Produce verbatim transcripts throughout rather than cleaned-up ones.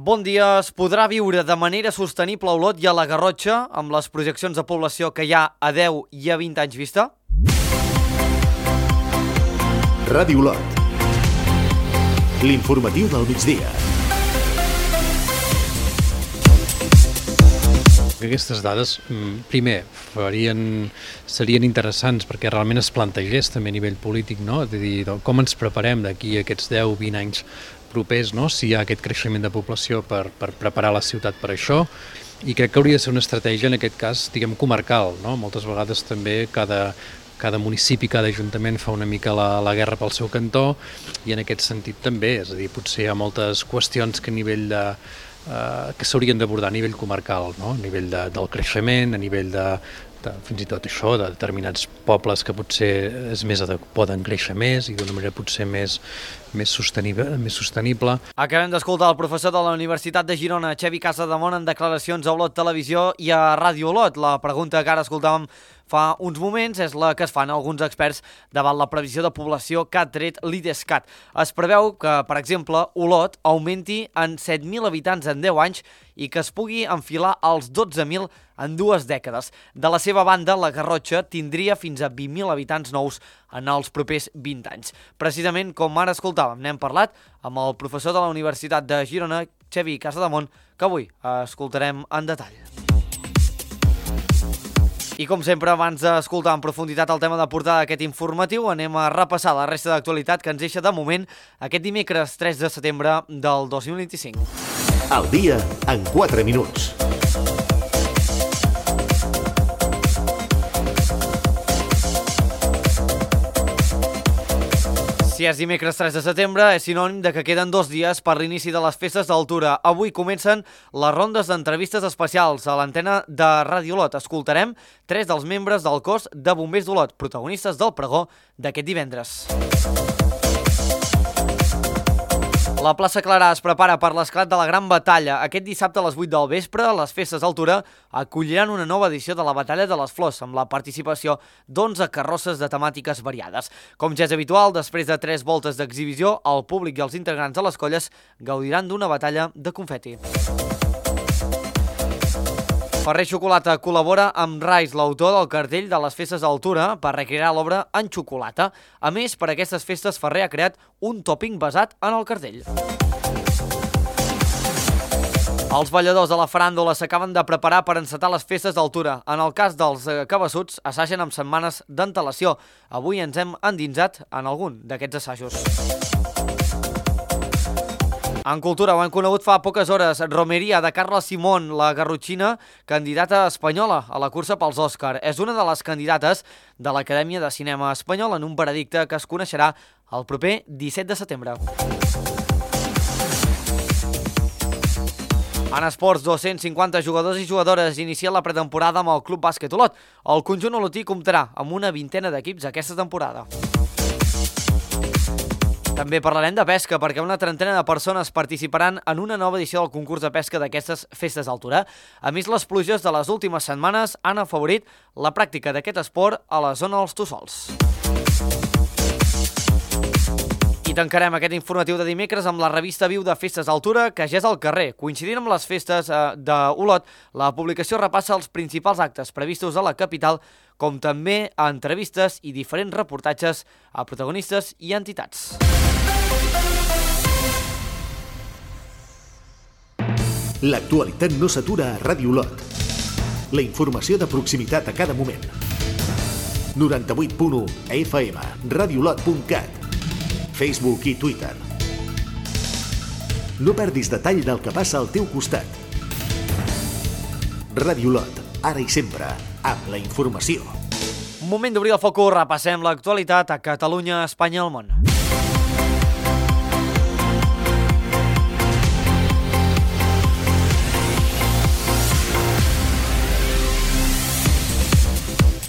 Bon dia. Es podrà viure de manera sostenible a Olot i a la Garrotxa amb les projeccions de població que hi ha a deu i a vint anys vista? Ràdio Olot. L'informatiu del migdia. Aquestes dades, primer, farien, serien interessants perquè realment es plantegés també a nivell polític, no? És a dir, com ens preparem d'aquí a aquests deu a vint anys propers, no? Si hi ha aquest creixement de població per, per preparar la ciutat per això, i crec que hauria de ser una estratègia, en aquest cas, diguem, comarcal, no? Moltes vegades també cada, cada municipi, cada ajuntament fa una mica la, la guerra pel seu cantó, i en aquest sentit també, és a dir, potser hi ha moltes qüestions que a nivell de Uh, que s'haurien d'abordar a nivell comarcal, no? A nivell de, del creixement, a nivell de, de fins i tot això, de determinats pobles que potser és més poden créixer més i d'una manera potser més, més, sostenible, més sostenible. Acabem d'escoltar el professor de la Universitat de Girona, Xavi Casademont, en declaracions a Olot Televisió i a Ràdio Olot. La pregunta que ara escoltàvem fa uns moments és la que es fan alguns experts davant la previsió de població que ha tret l'Idescat. Es preveu que, per exemple, Olot augmenti en set mil habitants en deu anys i que es pugui enfilar als dotze mil en dues dècades. De la seva banda, la Garrotxa tindria fins a vint mil habitants nous en els propers vint anys. Precisament, com ara escoltàvem, n'hem parlat amb el professor de la Universitat de Girona, Xavi Casademont, que avui escoltarem en detall. I com sempre, abans d'escoltar en profunditat el tema de portada d'aquest informatiu, anem a repassar la resta d'actualitat que ens deixa de moment aquest dimecres tres de setembre del dos mil vint-i-cinc. El dia en quatre minuts. Si és dimecres tres de setembre, és sinònim de que queden dos dies per l'inici de les festes d'altura. Avui comencen les rondes d'entrevistes especials a l'antena de Ràdio Olot. Escoltarem tres dels membres del cos de bombers d'Olot, protagonistes del pregó d'aquest divendres. La plaça Clarà es prepara per l'esclat de la Gran Batalla. Aquest dissabte a les vuit del vespre, les festes d'altura acolliran una nova edició de la Batalla de les Flors, amb la participació d'onze carrosses de temàtiques variades. Com ja és habitual, després de tres voltes d'exhibició, el públic i els integrants de les colles gaudiran d'una batalla de confeti. Ferrer Xocolata col·labora amb Rais, l'autor del cartell de les festes d'altura, per recrear l'obra en xocolata. A més, per aquestes festes, Ferrer ha creat un tòping basat en el cartell. Els balladors de la faràndula s'acaben de preparar per encetar les festes d'altura. En el cas dels cabassuts, assagen amb setmanes d'antelació. Avui ens hem endinsat en algun d'aquests assajos. En cultura ho hem conegut fa poques hores. Romeria de Carla Simón, la garrotxina, candidata espanyola a la cursa pels Òscar. És una de les candidates de l'Acadèmia de Cinema Espanyol en un veredicte que es coneixerà el proper disset de setembre. En esports, dos-cents cinquanta jugadors i jugadores inicien la pretemporada amb el Club Bàsquet Olot. El conjunt olotí comptarà amb una vintena d'equips aquesta temporada. També parlarem de pesca, perquè una trentena de persones participaran en una nova edició del concurs de pesca d'aquestes festes d'altura. A més, les pluges de les últimes setmanes han afavorit la pràctica d'aquest esport a la zona dels Tossols. I tancarem aquest informatiu de dimecres amb la revista Viu de Festes d'Altura, que ja és al carrer. Coincidint amb les festes d'Olot, la publicació repassa els principals actes previstos a la capital, com també a entrevistes i diferents reportatges a protagonistes i entitats. L'actualitat no s'atura a Ràdio Olot. La informació de proximitat a cada moment. noranta-vuit punt u F M, radiolot punt cat, Facebook i Twitter. No perdis detall del que passa al teu costat. Ràdio Olot, ara i sempre, amb la informació. Moment d'obrir el focus, repassem l'actualitat a Catalunya, Espanya i el món.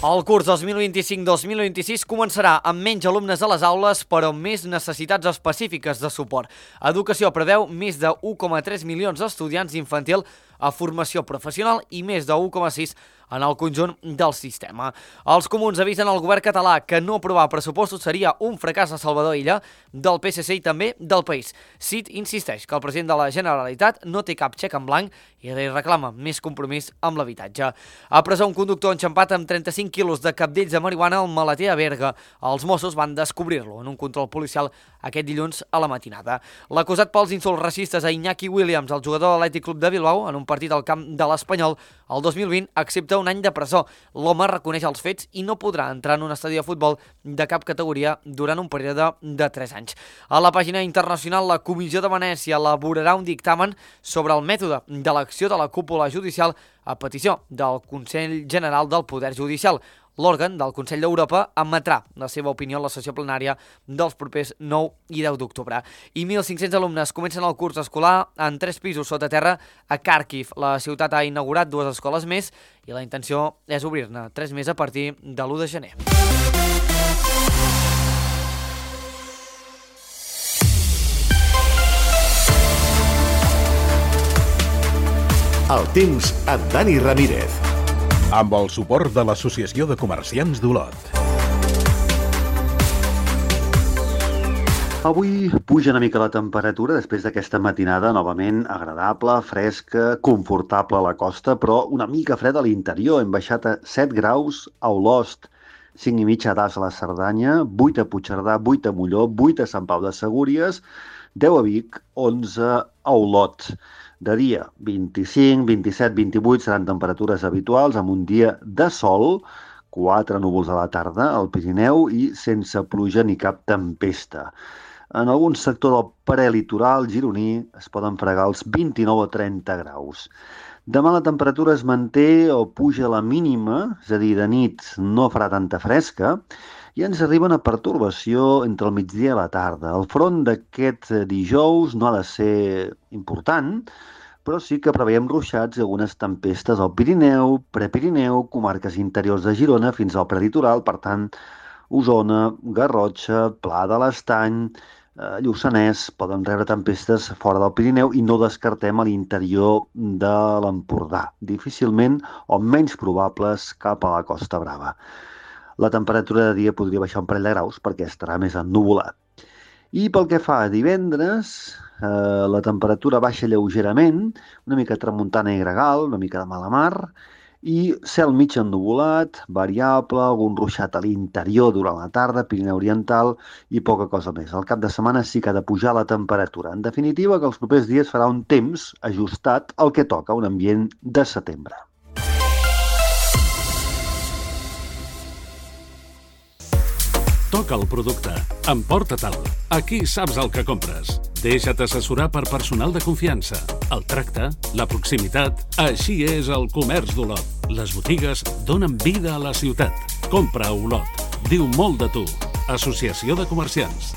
El curs dos mil vint-i-cinc dos mil vint-i-sis començarà amb menys alumnes a les aules, però amb més necessitats específiques de suport. Educació preveu més de u coma tres milions d'estudiants d'infantil a formació professional i més de u coma sis en el conjunt del sistema. Els comuns avisen al govern català que no aprovar pressupostos seria un fracàs a Salvador Illa, del P S C i també del País. Cid insisteix que el president de la Generalitat no té cap xec en blanc i li reclama més compromís amb l'habitatge. A presó un conductor enxampat amb trenta-cinc quilos de cabdells de marihuana al maleter a Berga. Els Mossos van descobrir-lo en un control policial aquest dilluns a la matinada. L'acusat pels insults racistes a Iñaki Williams, el jugador de l'Atlètic Club de Bilbao, en un partit al camp de l'Espanyol, el dos mil vint accepta un any de presó. L'home reconeix els fets i no podrà entrar en un estadi de futbol de cap categoria durant un període de tres anys. A la pàgina internacional, la Comissió de Venècia elaborarà un dictamen sobre el mètode de l'acció de la cúpula judicial a petició del Consell General del Poder Judicial. L'òrgan del Consell d'Europa emetrà la seva opinió en la sessió plenària dels propers nou i deu d'octubre. I mil cinc-cents alumnes comencen el curs escolar en tres pisos sota terra a Kharkiv. La ciutat ha inaugurat dues escoles més i la intenció és obrir-ne tres més a partir de l'u de gener. El temps amb Dani Ramírez. Amb el suport de l'Associació de Comerciants d'Olot. Avui puja una mica la temperatura després d'aquesta matinada novament agradable, fresca, confortable a la costa, però una mica freda a l'interior. Hem baixat a set graus a Olost, cinc i mig a Das a la Cerdanya, vuit a Puigcerdà, vuit a Molló, vuit a Sant Pau de Segúries, deu a Vic, onze a Olot. De dia, vint-i-cinc, vint-i-set, vint-i-vuit seran temperatures habituals amb un dia de sol, quatre núvols a la tarda al Pirineu i sense pluja ni cap tempesta. En algun sector del prelitoral gironí es poden fregar els vint-i-nou a trenta graus. Demà la temperatura es manté o puja a la mínima, és a dir, de nit no farà tanta fresca, i ens arriba una pertorbació entre el migdia i la tarda. El front d'aquest dijous no ha de ser important, però sí que preveiem ruixats i algunes tempestes al Pirineu, Prepirineu, comarques interiors de Girona fins al prelitoral, per tant, Osona, Garrotxa, Pla de l'Estany, eh, Lluçanès, poden rebre tempestes fora del Pirineu i no descartem a l'interior de l'Empordà. Difícilment o menys probables cap a la Costa Brava. La temperatura de dia podria baixar un parell de graus perquè estarà més ennuvolat. I pel que fa a divendres, eh, la temperatura baixa lleugerament, una mica tramuntana i gregal, una mica de mala mar, i cel mig ennuvolat, variable, algun ruixat a l'interior durant la tarda, Pirineu Oriental i poca cosa més. Al cap de setmana sí que ha de pujar la temperatura. En definitiva, que els propers dies farà un temps ajustat al que toca, un ambient de setembre. Toca el producte. Emporta-te'l. Aquí saps el que compres. Deixa't assessorar per personal de confiança. El tracte, la proximitat... Així és el comerç d'Olot. Les botigues donen vida a la ciutat. Compra a Olot. Diu molt de tu. Associació de Comerciants.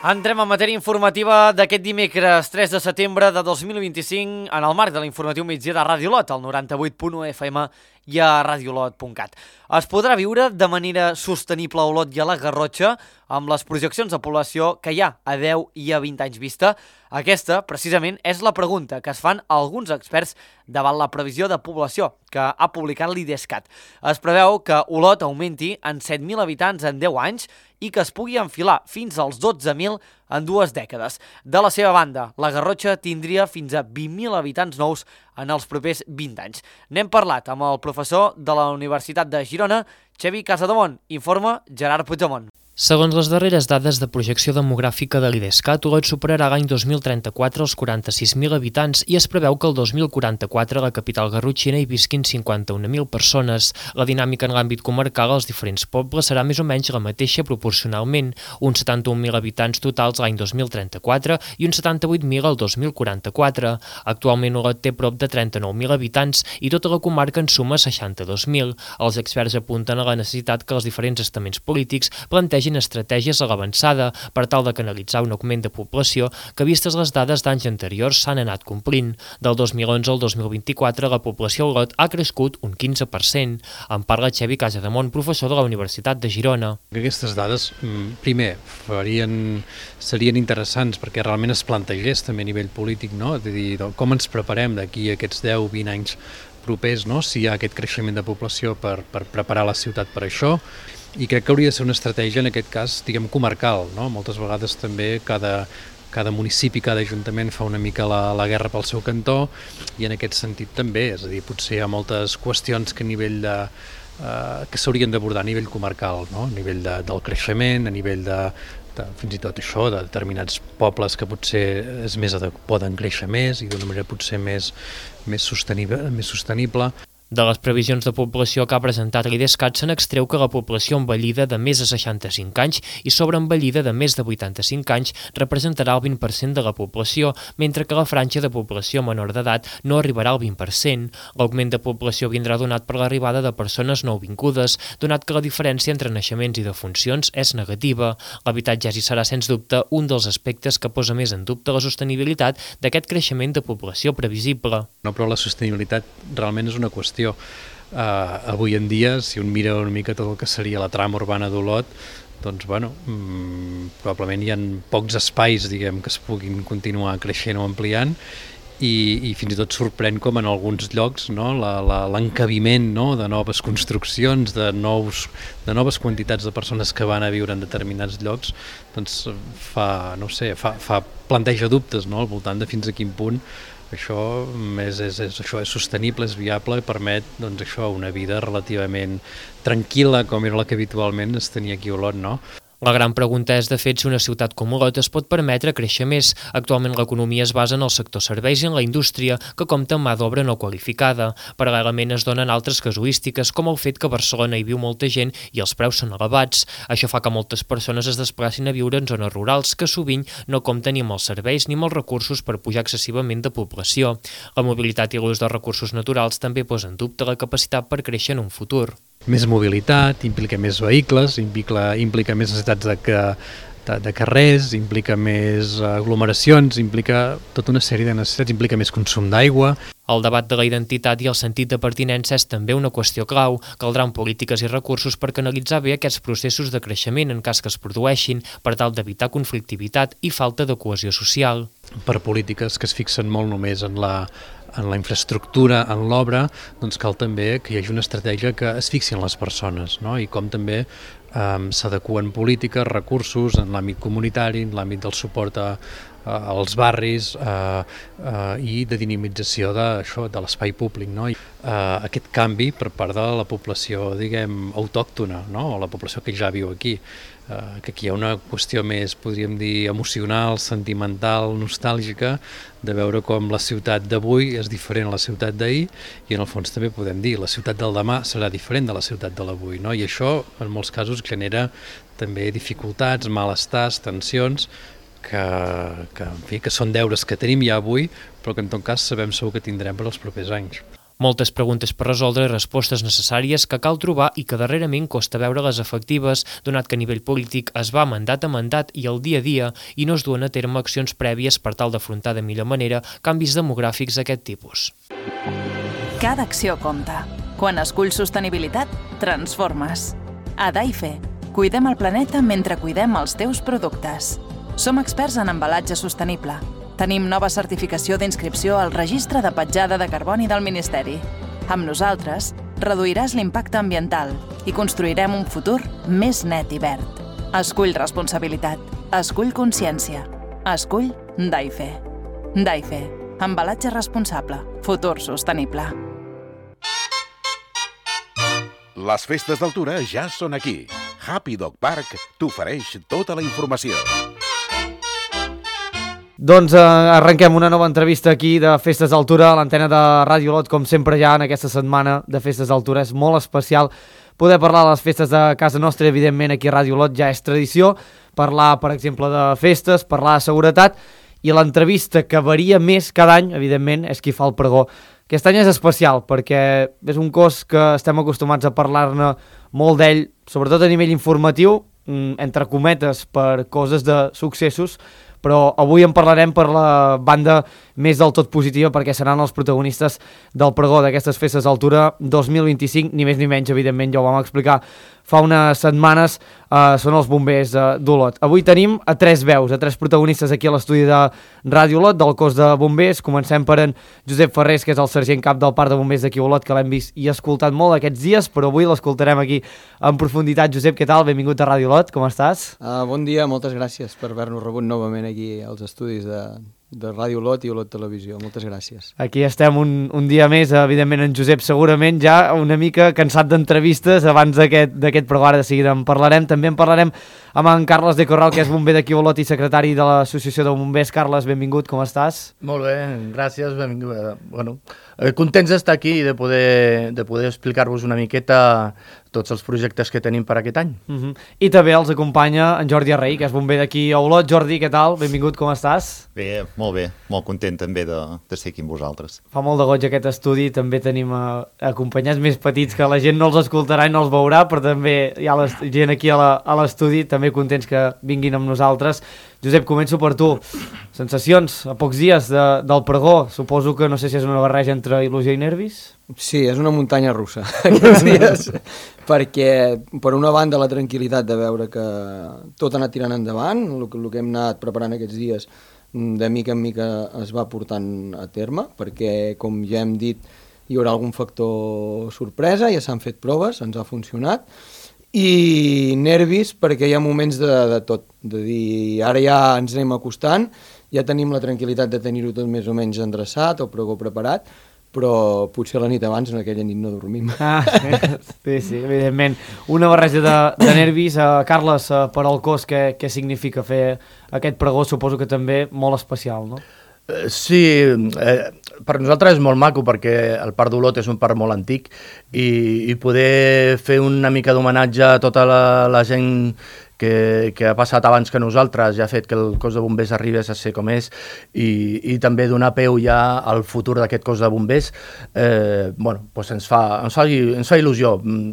Entrem en matèria informativa d'aquest dimecres tres de setembre de dos mil vint-i-cinc en el marc de l'informatiu migdia de Ràdio Olot, al noranta-vuit punt u F M i a radiolot punt cat. Es podrà viure de manera sostenible a Olot i a la Garrotxa amb les projeccions de població que hi ha a deu i a vint anys vista? Aquesta, precisament, és la pregunta que es fan alguns experts davant la previsió de població que ha publicat l'Idescat. Es preveu que Olot augmenti en set mil habitants en deu anys i que es pugui enfilar fins als dotze mil en dues dècades. De la seva banda, la Garrotxa tindria fins a vint mil habitants nous en els propers vint anys. N'hem parlat amb el professor de la Universitat de Girona, Xavi Casademont. Informa Gerard Puigdemont. Segons les darreres dades de projecció demogràfica de l'Idescat, Olot superarà l'any dos mil trenta-quatre els quaranta-sis mil habitants i es preveu que el dos mil quaranta-quatre a la capital garrotxina hi visquin cinquanta-un mil persones. La dinàmica en l'àmbit comarcal als diferents pobles serà més o menys la mateixa proporcionalment, uns setanta-un mil habitants totals l'any dos mil trenta-quatre i uns setanta-vuit mil el dos mil quaranta-quatre. Actualment Olot té prop de trenta-nou mil habitants i tota la comarca en suma seixanta-dos mil. Els experts apunten a la necessitat que els diferents estaments polítics plantegin estratègies a l'avançada per tal de canalitzar un augment de població que, vistes les dades d'anys anteriors, s'han anat complint. Del dos mil onze al dos mil vint-i-quatre, la població a Olot ha crescut un quinze per cent. En parla Xavi Casademont, professor de la Universitat de Girona. Aquestes dades, primer, farien, serien interessants perquè realment es plantegés també a nivell polític, no? És a dir, com ens preparem d'aquí a aquests deu vint anys propers, no? Si hi ha aquest creixement de població per, per preparar la ciutat per això, i crec que hauria de ser una estratègia, en aquest cas, diguem, comarcal, no? Moltes vegades també cada, cada municipi, cada ajuntament fa una mica la, la guerra pel seu cantó, i en aquest sentit també, és a dir, potser hi ha moltes qüestions que a nivell de eh, que s'haurien d'abordar a nivell comarcal, no? A nivell de, del creixement, a nivell de, de fins i tot això, de determinats pobles que potser és més poden créixer més i d'una manera potser més, més sostenible, més sostenible. De les previsions de població que ha presentat l'IDESCAT se n'extreu que la població envellida de més de seixanta-cinc anys i sobreenvellida de més de vuitanta-cinc anys representarà el vint per cent de la població, mentre que la franja de població menor d'edat no arribarà al vint per cent. L'augment de població vindrà donat per l'arribada de persones nouvingudes, donat que la diferència entre naixements i defuncions és negativa. L'habitatge hi serà, sens dubte, un dels aspectes que posa més en dubte la sostenibilitat d'aquest creixement de població previsible. No, però la sostenibilitat realment és una qüestió. Uh, avui en dia, si un mira una mica tot el que seria la trama urbana d'Olot, doncs, bueno, mmm, probablement hi ha pocs espais, diguem, que es puguin continuar creixent o ampliant, i, i fins i tot sorprèn com en alguns llocs, no, l'encabiment, no, de noves construccions, de, nous, de noves quantitats de persones que van a viure en determinats llocs, doncs fa, no sé, fa, fa planteja dubtes, no, al voltant de fins a quin punt això és, és, és, això és sostenible, és viable i permet, doncs, això, una vida relativament tranquil·la, com era la que habitualment es tenia aquí a Olot, no? La gran pregunta és, de fet, si una ciutat com Olot es pot permetre créixer més. Actualment l'economia es basa en el sector serveis i en la indústria, que compta amb mà d'obra no qualificada. Paral·lelament es donen altres casuístiques, com el fet que a Barcelona hi viu molta gent i els preus són elevats. Això fa que moltes persones es desplacin a viure en zones rurals, que sovint no compten ni amb els serveis ni amb els recursos per pujar excessivament de població. La mobilitat i l'ús de recursos naturals també posa en dubte la capacitat per créixer en un futur. Més mobilitat, implica més vehicles, implica, implica més necessitats de, que, de, de carrers, implica més aglomeracions, implica tota una sèrie de necessitats, implica més consum d'aigua. El debat de la identitat i el sentit de pertinença és també una qüestió clau. Caldran polítiques i recursos per canalitzar bé aquests processos de creixement en cas que es produeixin, per tal d'evitar conflictivitat i falta de cohesió social. Per polítiques que es fixen molt només en la en la infraestructura, en l'obra, doncs cal també que hi hagi una estratègia que es fixi en les persones, no? I com també eh, s'adequen polítiques, recursos en l'àmbit comunitari, en l'àmbit del suport a, a, als barris eh, eh, i de dinamització de, això, de l'espai públic, no? I, eh, aquest canvi per part de la població, diguem, autòctona, no? O la població que ja viu aquí. Uh, que aquí hi ha una qüestió més, podríem dir, emocional, sentimental, nostàlgica, de veure com la ciutat d'avui és diferent a la ciutat d'ahir, i en el fons també podem dir la ciutat del demà serà diferent de la ciutat de l'avui, no? I això en molts casos genera també dificultats, malestars, tensions, que, que, en fi, que són deures que tenim ja avui, però que en tot cas sabem segur que tindrem per als propers anys. Moltes preguntes per resoldre i respostes necessàries que cal trobar i que darrerament costa veure-les efectives, donat que a nivell polític es va mandat a mandat i al dia a dia i no es duen a terme accions prèvies per tal d'afrontar de millor manera canvis demogràfics d'aquest tipus. Cada acció compta. Quan esculls sostenibilitat, transformes. A Daife, cuidem el planeta mentre cuidem els teus productes. Som experts en embalatge sostenible. Tenim nova certificació d'inscripció al Registre de Petjada de Carboni del Ministeri. Amb nosaltres, reduiràs l'impacte ambiental i construirem un futur més net i verd. Escull responsabilitat. Escull consciència. Escull Daife. Daife. Embalatge responsable. Futur sostenible. Les festes d'altura ja són aquí. Happy Dog Park t'ofereix tota la informació. Doncs eh, arrenquem una nova entrevista aquí de Festes d'Altura a l'antena de Ràdio Olot, com sempre ja en aquesta setmana de Festes d'Altura. És molt especial poder parlar de les festes de casa nostra, evidentment aquí a Ràdio Olot ja és tradició, parlar per exemple de festes, parlar de seguretat, i l'entrevista que varia més cada any, evidentment, és qui fa el pregó. Aquest any és especial perquè és un cos que estem acostumats a parlar-ne molt d'ell, sobretot a nivell informatiu, entre cometes per coses de successos, però avui en parlarem per la banda més del tot positiva perquè seran els protagonistes del pregó d'aquestes festes d'altura dos mil vint-i-cinc, ni més ni menys, evidentment, ja ho vam explicar fa unes setmanes, uh, són els bombers uh, d'Olot. Avui tenim a tres veus, a tres protagonistes aquí a l'estudi de Ràdio Olot, del cos de bombers. Comencem per en Josep Ferrés, que és el sergent cap del parc de bombers d'aquí a Olot, que l'hem vist i escoltat molt aquests dies, però avui l'escoltarem aquí en profunditat. Josep, què tal? Benvingut a Ràdio Olot, com estàs? Uh, bon dia, moltes gràcies per haver-nos rebut novament aquí als estudis de, de Ràdio Olot i Olot Televisió. Moltes gràcies. Aquí estem un, un dia més, evidentment en Josep segurament ja una mica cansat d'entrevistes abans d'aquest programa, de seguida en parlarem. També en parlarem amb en Carles de Corral, que és bomber d'aquí a Olot i secretari de l'Associació de Bombers. Carles, benvingut, com estàs? Molt bé, gràcies, benvingut. Bueno, contents d'estar aquí i de poder, de poder explicar-vos una miqueta tots els projectes que tenim per aquest any. Uh-huh. I també els acompanya en Jordi Arrey, que és bomber d'aquí a Olot. Jordi, què tal? Benvingut, com estàs? Bé, molt bé, molt content també de, de ser aquí amb vosaltres. Fa molt de goig aquest estudi, també tenim uh, acompanyats més petits que la gent no els escoltarà i no els veurà, però també hi ha la gent aquí a l'estudi, també contents que vinguin amb nosaltres. Josep, començo per tu. Sensacions, a pocs dies de, del pregó, suposo que no sé si és una barreja entre il·lusió i nervis? Sí, és una muntanya russa aquests dies, perquè per una banda la tranquil·litat de veure que tot ha anat tirant endavant, el, el que hem anat preparant aquests dies de mica en mica es va portant a terme, perquè com ja hem dit hi haurà algun factor sorpresa, ja s'han fet proves, ens ha funcionat, i nervis perquè hi ha moments de, de tot, de dir ara ja ens anem acostant, ja tenim la tranquil·litat de tenir-ho tot més o menys endreçat, el pregó preparat, però potser la nit abans en aquella nit no dormim. Ah, sí, sí, evidentment. Una barreja de, de nervis. Uh, Carles, uh, per al cos, què, què significa fer aquest pregó? Suposo que també molt especial, no? Sí, eh, per nosaltres és molt maco perquè el Parc d'Olot és un parc molt antic i, i poder fer una mica d'homenatge a tota la, la gent que, que ha passat abans que nosaltres ja ha fet que el cos de bombers arribés a ser com és i, i també donar peu ja al futur d'aquest cos de bombers, eh, bueno, doncs ens, fa, ens, fa, ens fa il·lusió,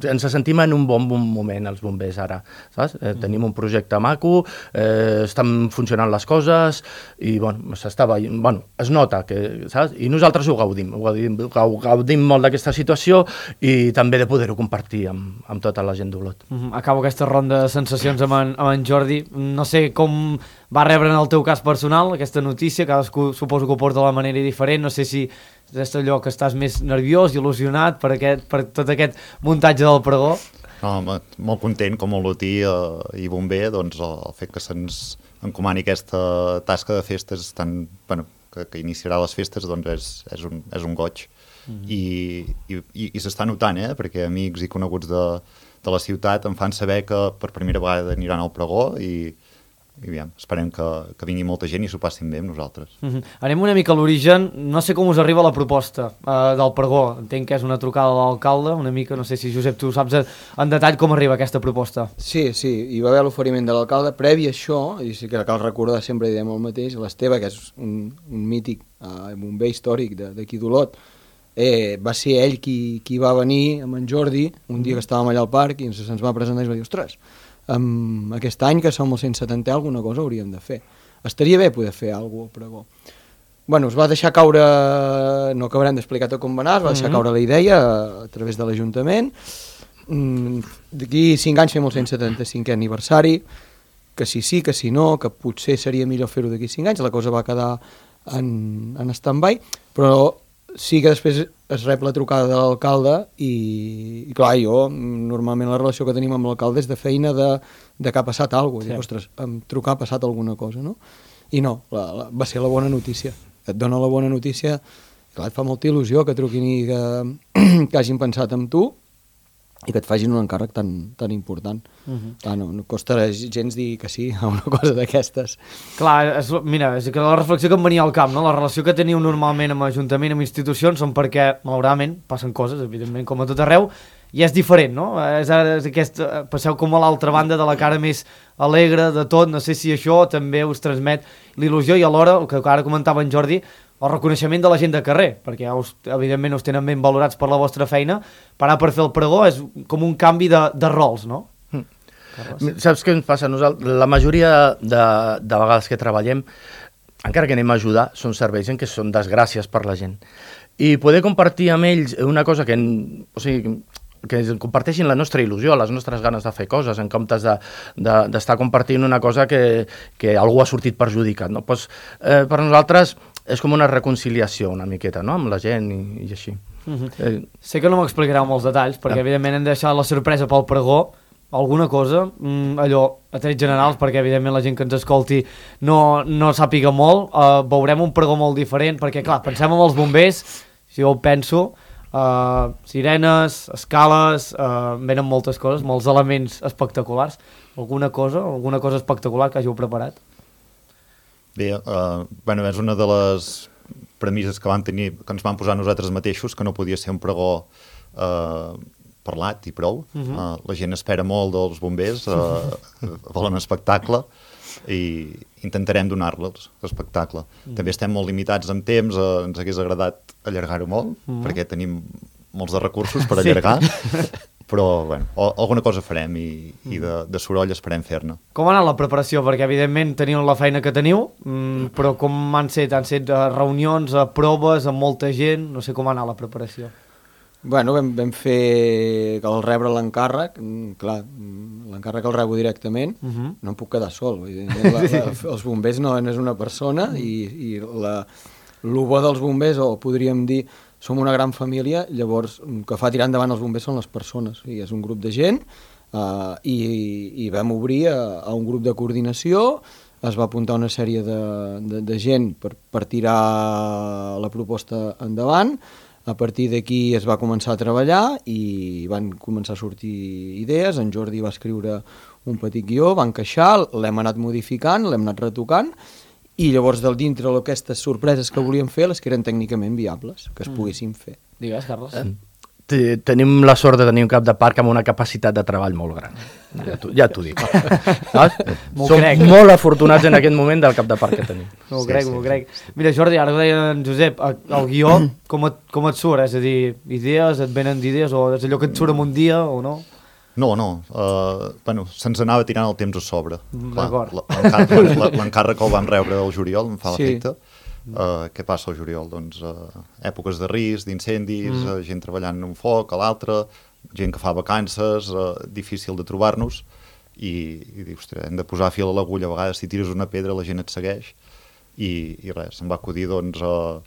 ens sentim en un bon, bon moment els bombers ara, saps? Eh, tenim un projecte maco, eh, estan funcionant les coses i bueno, s'està veient, bueno, es nota que, saps? I nosaltres ho gaudim, ho gaudim, ho gaudim molt d'aquesta situació i també de poder-ho compartir amb, amb tota la gent d'Olot. Uh-huh. Acabo aquesta ronda de sensacions amb en, amb en Jordi. No sé com va rebre en el teu cas personal aquesta notícia, cadascú suposo que ho porta de la manera diferent, no sé si és allò que estàs més nerviós, il·lusionat per, aquest, per tot aquest muntatge del pregó. No, molt content com a olotí eh, i bomber, doncs el, el fet que se'ns encomani aquesta tasca de festes tan, bueno, que, que iniciarà les festes, doncs és, és, un, és un goig. Mm-hmm. I, i, i, i s'està notant, eh? Perquè amics i coneguts de, de la ciutat em fan saber que per primera vegada aniran al pregó i, i aviam, esperem que, que vingui molta gent i s'ho passin bé amb nosaltres. Mm-hmm. Anem una mica a l'origen. No sé com us arriba la proposta uh, del pregó. Entenc que és una trucada de l'alcalde, una mica, no sé si Josep tu saps en detall com arriba aquesta proposta. Sí, sí, hi va haver l'oferiment de l'alcalde. Previ a això, i sí que cal recordar, sempre diem el mateix, l'Esteve, que és un, un mític uh, bomber històric d'aquí d'Olot, Eh, va ser ell qui, qui va venir amb en Jordi un dia que estàvem allà al parc i ens, ens va presentar i va dir, ostres, um, aquest any que som el cent setanta alguna cosa hauríem de fer, estaria bé poder fer alguna cosa al pregó. Bueno, es va deixar caure, no acabarem d'explicar tot com va anar, es va deixar caure la idea a través de l'Ajuntament. mm, d'aquí cinc anys fem el cent setanta-cinquè aniversari, que si sí, que si no, que potser seria millor fer-ho d'aquí cinc anys, la cosa va quedar en, en stand-by, però sí que després es rep la trucada de l'alcalde i, i clar, jo normalment la relació que tenim amb l'alcalde és de feina de, de que ha passat alguna cosa, sí. Ostres, amb trucar ha passat alguna cosa, no? I no, la, la, va ser la bona notícia, et dona la bona notícia, clar, et fa molta il·lusió que truquin i que, que hagin pensat en tu i que et facin un encàrrec tan, tan important. Uh-huh. Clar, no, no costa gens dir que sí a una cosa d'aquestes. Clar, és, mira, és que la reflexió que em venia al cap, no? La relació que teniu normalment amb Ajuntament, amb institucions, són perquè, malauradament, passen coses, evidentment, com a tot arreu, i és diferent, no? És, és aquest, passeu com a l'altra banda de la cara més alegre de tot, no sé si això també us transmet l'il·lusió i alhora, el que ara comentava en Jordi, el reconeixement de la gent de carrer, perquè ja us, evidentment us tenen ben valorats per la vostra feina, parar per fer el pregó és com un canvi de, de rols, no? Mm. Saps què ens passa? Nosaltres, la majoria de, de vegades que treballem, encara que anem a ajudar, són serveis en què són desgràcies per la gent. I poder compartir amb ells una cosa que, o sigui, que comparteixin la nostra il·lusió, les nostres ganes de fer coses, en comptes d'estar de, de, compartint una cosa que, que algú ha sortit perjudicat. No? Pues, eh, per nosaltres és com una reconciliació una miqueta, no?, amb la gent i, i així. Uh-huh. eh. Sé que no m'explicareu molts detalls, perquè eh. evidentment hem de deixar la sorpresa pel pregó, alguna cosa, allò, a trets generals, perquè evidentment la gent que ens escolti no, no sàpiga molt, uh, veurem un pregó molt diferent, perquè clar, pensem en els bombers, si jo ho penso, uh, sirenes, escales, uh, venen moltes coses, molts elements espectaculars. Alguna cosa, alguna cosa espectacular que hàgiu preparat? Bé, uh, bueno, és una de les premisses que vam tenir, que ens vam posar nosaltres mateixos, que no podia ser un pregó uh, parlat i prou. Uh-huh. uh, la gent espera molt dels bombers, uh, volen espectacle i intentarem donar-los l'espectacle. Uh-huh. També estem molt limitats en temps, uh, ens hagués agradat allargar-ho molt, uh-huh. perquè tenim molts de recursos per allargar, sí. Però bueno, o, alguna cosa farem i, i de, de soroll esperem fer-ne. Com ha anat la preparació? Perquè evidentment teniu la feina que teniu, mm, però com han set? Han set uh, reunions, uh, proves amb molta gent? No sé com ha anat la preparació. Bueno, vam, vam fer que al rebre l'encàrrec, clar, l'encàrrec el rebo directament, uh-huh. no em puc quedar sol, vull dir, la, la, els bombers no, no és una persona i, i la, el bo dels bombers, o podríem dir, som una gran família, llavors el que fa tirar endavant els bombers són les persones, o sigui, és un grup de gent uh, i, i vam obrir a, a un grup de coordinació, es va apuntar una sèrie de, de, de gent per, per tirar la proposta endavant. A partir d'aquí es va començar a treballar i van començar a sortir idees. En Jordi va escriure un petit guió, va encaixar, l'hem anat modificant, l'hem anat retocant i llavors del dintre aquestes sorpreses que volíem fer, les que eren tècnicament viables, que es poguessin fer. Digues, Carles. Eh? Tenim la sort de tenir un cap de parc amb una capacitat de treball molt gran. Ja t'ho ja dic. Som crec. molt afortunats en aquest moment del cap de parc que tenim. M'ho sí, crec, sí, m'ho sí. crec. Mira, Jordi, ara ho deia en Josep, el guió, com et, com et surt? És a dir, idees, et venen d'idees, o és allò que et surt en un dia, o no? No, no. Uh, bueno, se'ns anava tirant el temps a sobre. D'acord. L'encàrrec que el vam rebre el juliol, em fa sí. l'efecte. Uh, què passa al juliol? Doncs uh, èpoques de risc, d'incendis, mm. uh, gent treballant en un foc, a l'altre, gent que fa vacances, uh, difícil de trobar-nos, i, i dius, ostres, hem de posar fil a l'agulla, a vegades si tires una pedra la gent et segueix, i, i res, em va acudir doncs uh,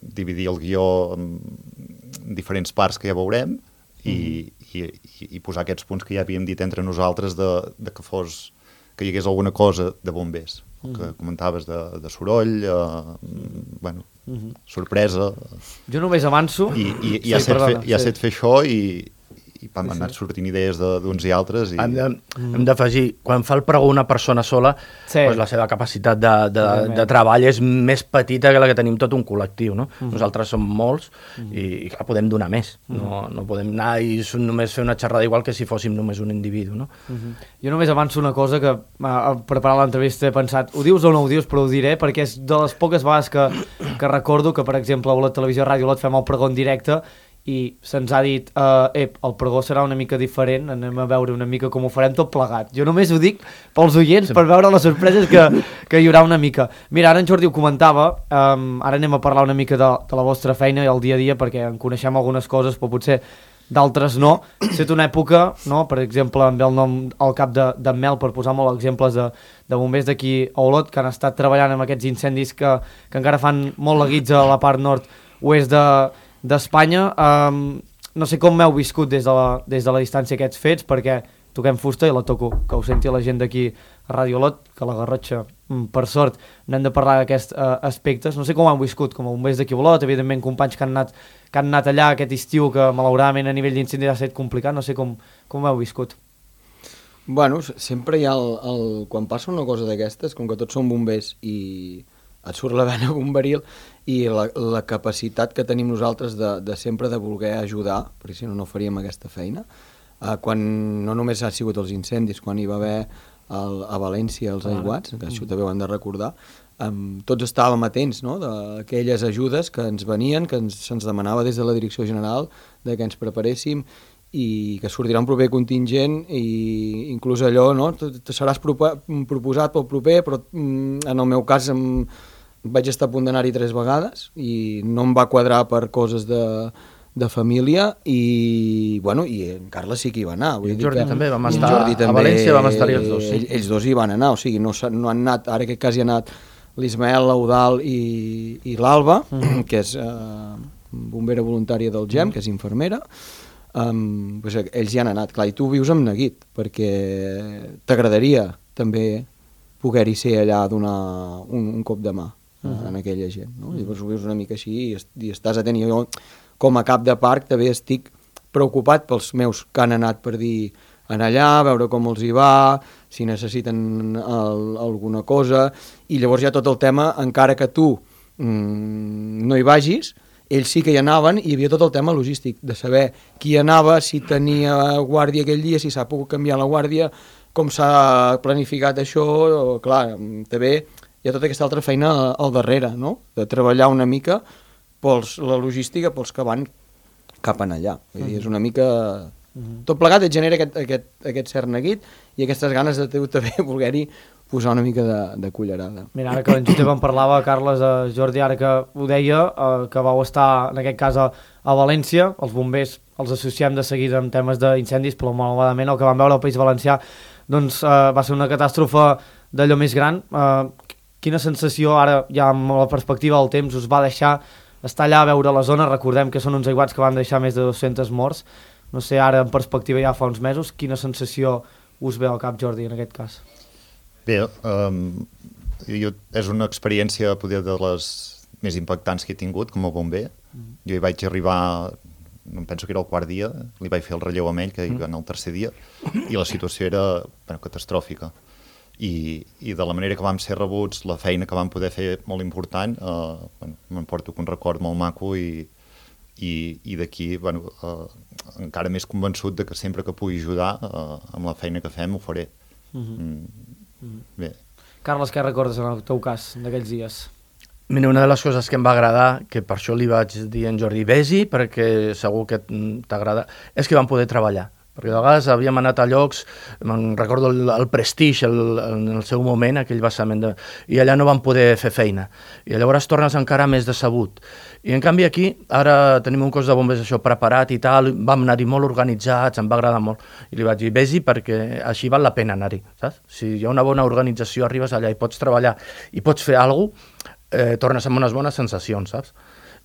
dividir el guió en diferents parts que ja veurem, mm. i, i, i, i posar aquests punts que ja havíem dit entre nosaltres de, de que fos, que hi hagués alguna cosa de bombers. El que comentaves de, de soroll, eh, bueno, uh-huh. sorpresa... Jo només avanço... I, i, i sí, ja, set fer, ja sí. set fer això i, i vam anar sí, sí. sortint idees d'uns i altres. I... Hem de, hem d'afegir, quan fa el pregó una persona sola, sí. doncs la seva capacitat de, de, de treball és més petita que la que tenim tot un col·lectiu, no? Uh-huh. Nosaltres som molts uh-huh. i, i clar, podem donar més. Uh-huh. No, no podem anar i només fer una xerrada igual que si fóssim només un individu, no? Uh-huh. Jo només avanço una cosa que a preparar l'entrevista he pensat, ho dius o no ho dius, però ho diré, perquè és de les poques vegades que, que recordo que, per exemple, a la televisió Ràdio Lot fem el pregó en directe i se'ns ha dit, uh, ep, el pregó serà una mica diferent, anem a veure una mica com ho farem tot plegat. Jo només ho dic pels oients, sí. per veure les sorpreses que, que hi haurà una mica. Mira, ara en Jordi ho comentava, um, ara anem a parlar una mica de, de la vostra feina i el dia a dia, perquè en coneixem algunes coses, però potser d'altres no. Ha estat una època, no? Per exemple, amb el nom al cap de, de Mel, per posar molts exemples de, de bombers d'aquí a Olot, que han estat treballant amb aquests incendis que, que encara fan molt la guitza a la part nord-oest de d'Espanya. Um, no sé com m'heu viscut des de, la, des de la distància aquests fets, perquè toquem fusta i la toco, que ho senti la gent d'aquí a Ràdio Olot, que la Garrotxa, per sort, n'hem de parlar d'aquests uh, aspectes. No sé com ho han viscut, com a bombers d'aquí a Olot, evidentment companys que han anat, que han anat allà aquest estiu, que malauradament a nivell d'incendi ha estat complicat, no sé com, com ho heu viscut. Bueno, sempre hi ha el, el... quan passa una cosa d'aquestes, com que tots som bombers i et surt la vena bomberil, i la, la capacitat que tenim nosaltres de, de sempre de voler ajudar, perquè si no, no faríem aquesta feina, uh, quan no només ha sigut els incendis, quan hi va haver el, a València els aiguats, que això també ho hem de recordar, um, tots estàvem atents, no?, d'aquelles ajudes que ens venien, que ens, se'ns demanava des de la Direcció General, de que ens preparéssim, i que sortirà un proper contingent, i inclús allò, no?, te seràs proposat pel proper, però mm, en el meu cas em, vaig estar a punt d'anar-hi tres vegades i no em va quadrar per coses de, de família, i, bueno, i en Carles sí que hi va anar. Vull I en dir Jordi que, també, vam estar, a València vam estar-hi els dos. Sí. Ells, ells dos hi van anar, o sigui, no, no han anat, ara aquest cas hi ha anat l'Ismael, l'Eudal i, i l'Alba, mm. que és eh, bombera voluntària del GEM, mm. que és infermera. Um, pues, ells hi han anat, clar, i tu vius amb neguit, perquè t'agradaria també poder-hi ser allà a donar un, un cop de mà mm. en aquella gent, no? Mm. Llavors ho vius una mica així i, i estàs atent. Jo, com a cap de parc, també estic preocupat pels meus que han anat per dir anar allà, veure com els hi va, si necessiten el, alguna cosa, i llavors hi ha tot el tema, encara que tu mmm, no hi vagis, ells sí que hi anaven, i hi havia tot el tema logístic, de saber qui anava, si tenia guàrdia aquell dia, si s'ha pogut canviar la guàrdia, com s'ha planificat això, o, clar, també hi ha tota aquesta altra feina al darrere, no? De treballar una mica pels, la logística pels que van cap en allà. Vull dir, és una mica... Tot plegat et genera aquest, aquest, aquest cert neguit i aquestes ganes de tu també voler-hi posar una mica de, de cullerada. Mira, ara que en Josep en parlava, Carles, eh, Jordi, ara que ho deia, eh, que vau estar en aquest cas a, a València, els bombers els associem de seguida amb temes d'incendis, però malauradament el que vam veure al País Valencià doncs, eh, va ser una catàstrofe d'allò més gran. Eh, quina sensació ara, ja amb la perspectiva del temps, us va deixar estar allà a veure la zona? Recordem que són uns aiguats que van deixar més de dos-cents morts. No sé, ara en perspectiva ja fa uns mesos, quina sensació us ve al cap, Jordi, en aquest cas? Bé, um, jo, és una experiència poder de les més impactants que he tingut com a bomber. Mm. Jo hi vaig arribar, no penso que era el quart dia, li vaig fer el relleu amb ell, que hi va anar el tercer dia, i la situació era bueno, catastròfica. I, I de la manera que vam ser rebuts, la feina que vam poder fer molt important, eh, bueno, m'emporto un record molt maco i i, i d'aquí bueno, eh, encara més convençut de que sempre que pugui ajudar eh, amb la feina que fem ho faré. Mm-hmm. Mm. Bé. Carles, què recordes en el teu cas d'aquells dies? Mira, una de les coses que em va agradar, que per això li vaig dir a en Jordi, vés-hi perquè segur que t'agrada, és que vam poder treballar. Perquè de vegades havíem anat a llocs, me'n recordo el, el Prestige, el, en el seu moment, aquell vessament, de, i allà no vam poder fer feina. I llavors tornes encara més decebut. I en canvi aquí, ara tenim un cos de bombers això preparat i tal, vam anar-hi molt organitzats, em va agradar molt. I li vaig dir, vés-hi perquè així val la pena anar-hi, saps? Si hi ha una bona organització, arribes allà i pots treballar i pots fer alguna cosa, eh, tornes amb unes bones sensacions, saps?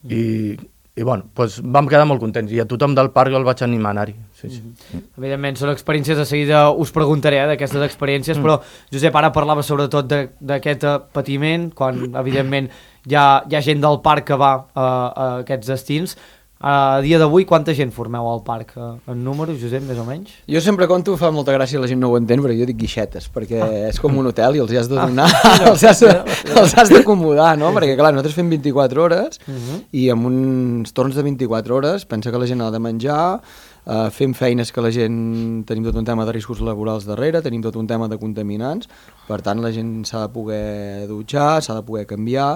I... I bueno, doncs vam quedar molt contents i a tothom del parc el vaig animar a anar-hi. Sí, sí. Mm-hmm. Evidentment, són experiències, de seguida us preguntaré eh, d'aquestes experiències, mm. però Josep, ara parlava sobretot d'aquest patiment, quan evidentment hi ha, hi ha gent del parc que va a, a aquests destins. A dia d'avui, quanta gent formeu al parc? En números, Josep, més o menys? Jo sempre conto, fa molta gràcia, la gent no ho entén, però jo dic guixetes, perquè ah. és com un hotel i els has de donar, ah, no, els has, els has d'acomodar, no? Perquè clar, nosaltres fem vint-i-quatre hores uh-huh. i amb uns torns de vint-i-quatre hores pensa que la gent ha de menjar, uh, fem feines que la gent... Tenim tot un tema de riscos laborals darrere, tenim tot un tema de contaminants, per tant la gent s'ha de poder dutxar, s'ha de poder canviar.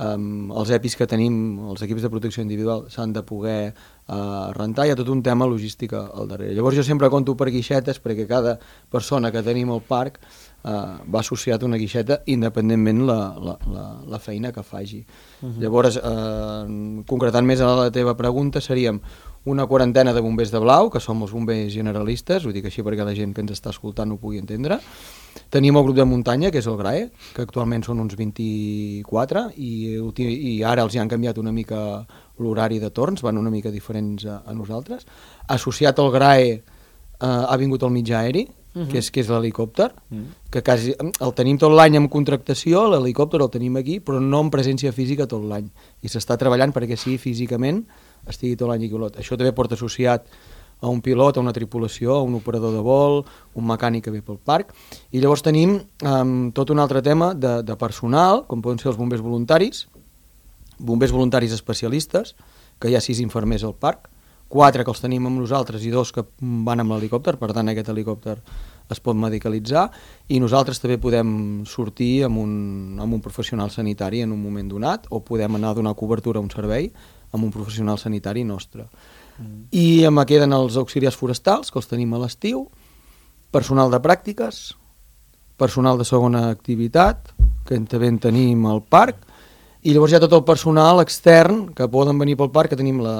Um, els E P Is que tenim, els equips de protecció individual, s'han de poder uh, rentar, hi ha tot un tema logística al darrere. Llavors jo sempre conto per guixetes perquè cada persona que tenim al parc uh, va associat a una guixeta independentment la, la, la, la feina que faci. Uh-huh. Llavors, uh, concretant més a la teva pregunta, seríem una quarantena de bombers de blau, que som els bombers generalistes, ho dic així perquè la gent que ens està escoltant ho pugui entendre. Tenim el grup de muntanya, que és el GRAE, que actualment són uns vint-i-quatre, i, i ara els hi han canviat una mica l'horari de torns, van una mica diferents a, a nosaltres. Associat al GRAE eh, ha vingut el mitjà aeri, uh-huh. que és, que és l'helicòpter, uh-huh. que quasi, el tenim tot l'any en contractació, l'helicòpter el tenim aquí, però no en presència física tot l'any. I s'està treballant perquè sí, físicament estigui tot l'any aquí. Això també porta associat a un pilot, a una tripulació, a un operador de vol, un mecànic que ve pel parc. I llavors tenim um, tot un altre tema de, de personal, com poden ser els bombers voluntaris, bombers voluntaris especialistes, que hi ha sis infermers al parc, quatre que els tenim amb nosaltres i dos que van amb l'helicòpter, per tant aquest helicòpter es pot medicalitzar, i nosaltres també podem sortir amb un, amb un professional sanitari en un moment donat, o podem anar a donar cobertura a un servei amb un professional sanitari nostre. Mm. I em queden els auxiliars forestals, que els tenim a l'estiu, personal de pràctiques, personal de segona activitat, que també en tenim al parc, I llavors hi ha tot el personal extern que poden venir pel parc, que tenim la,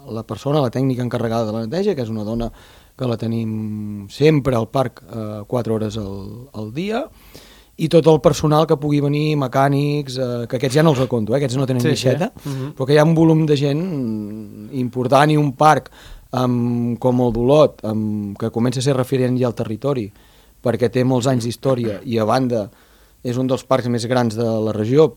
la persona, la tècnica encarregada de la neteja, que és una dona que la tenim sempre al parc eh, quatre hores al, al dia, i tot el personal que pugui venir, mecànics, eh, que aquests ja no els reconto, eh, aquests no tenen sí, guixeta, sí. Uh-huh. però que hi ha un volum de gent important i un parc amb, com el d'Olot, amb, que comença a ser referent ja al territori, perquè té molts anys d'història i a banda és un dels parcs més grans de la regió,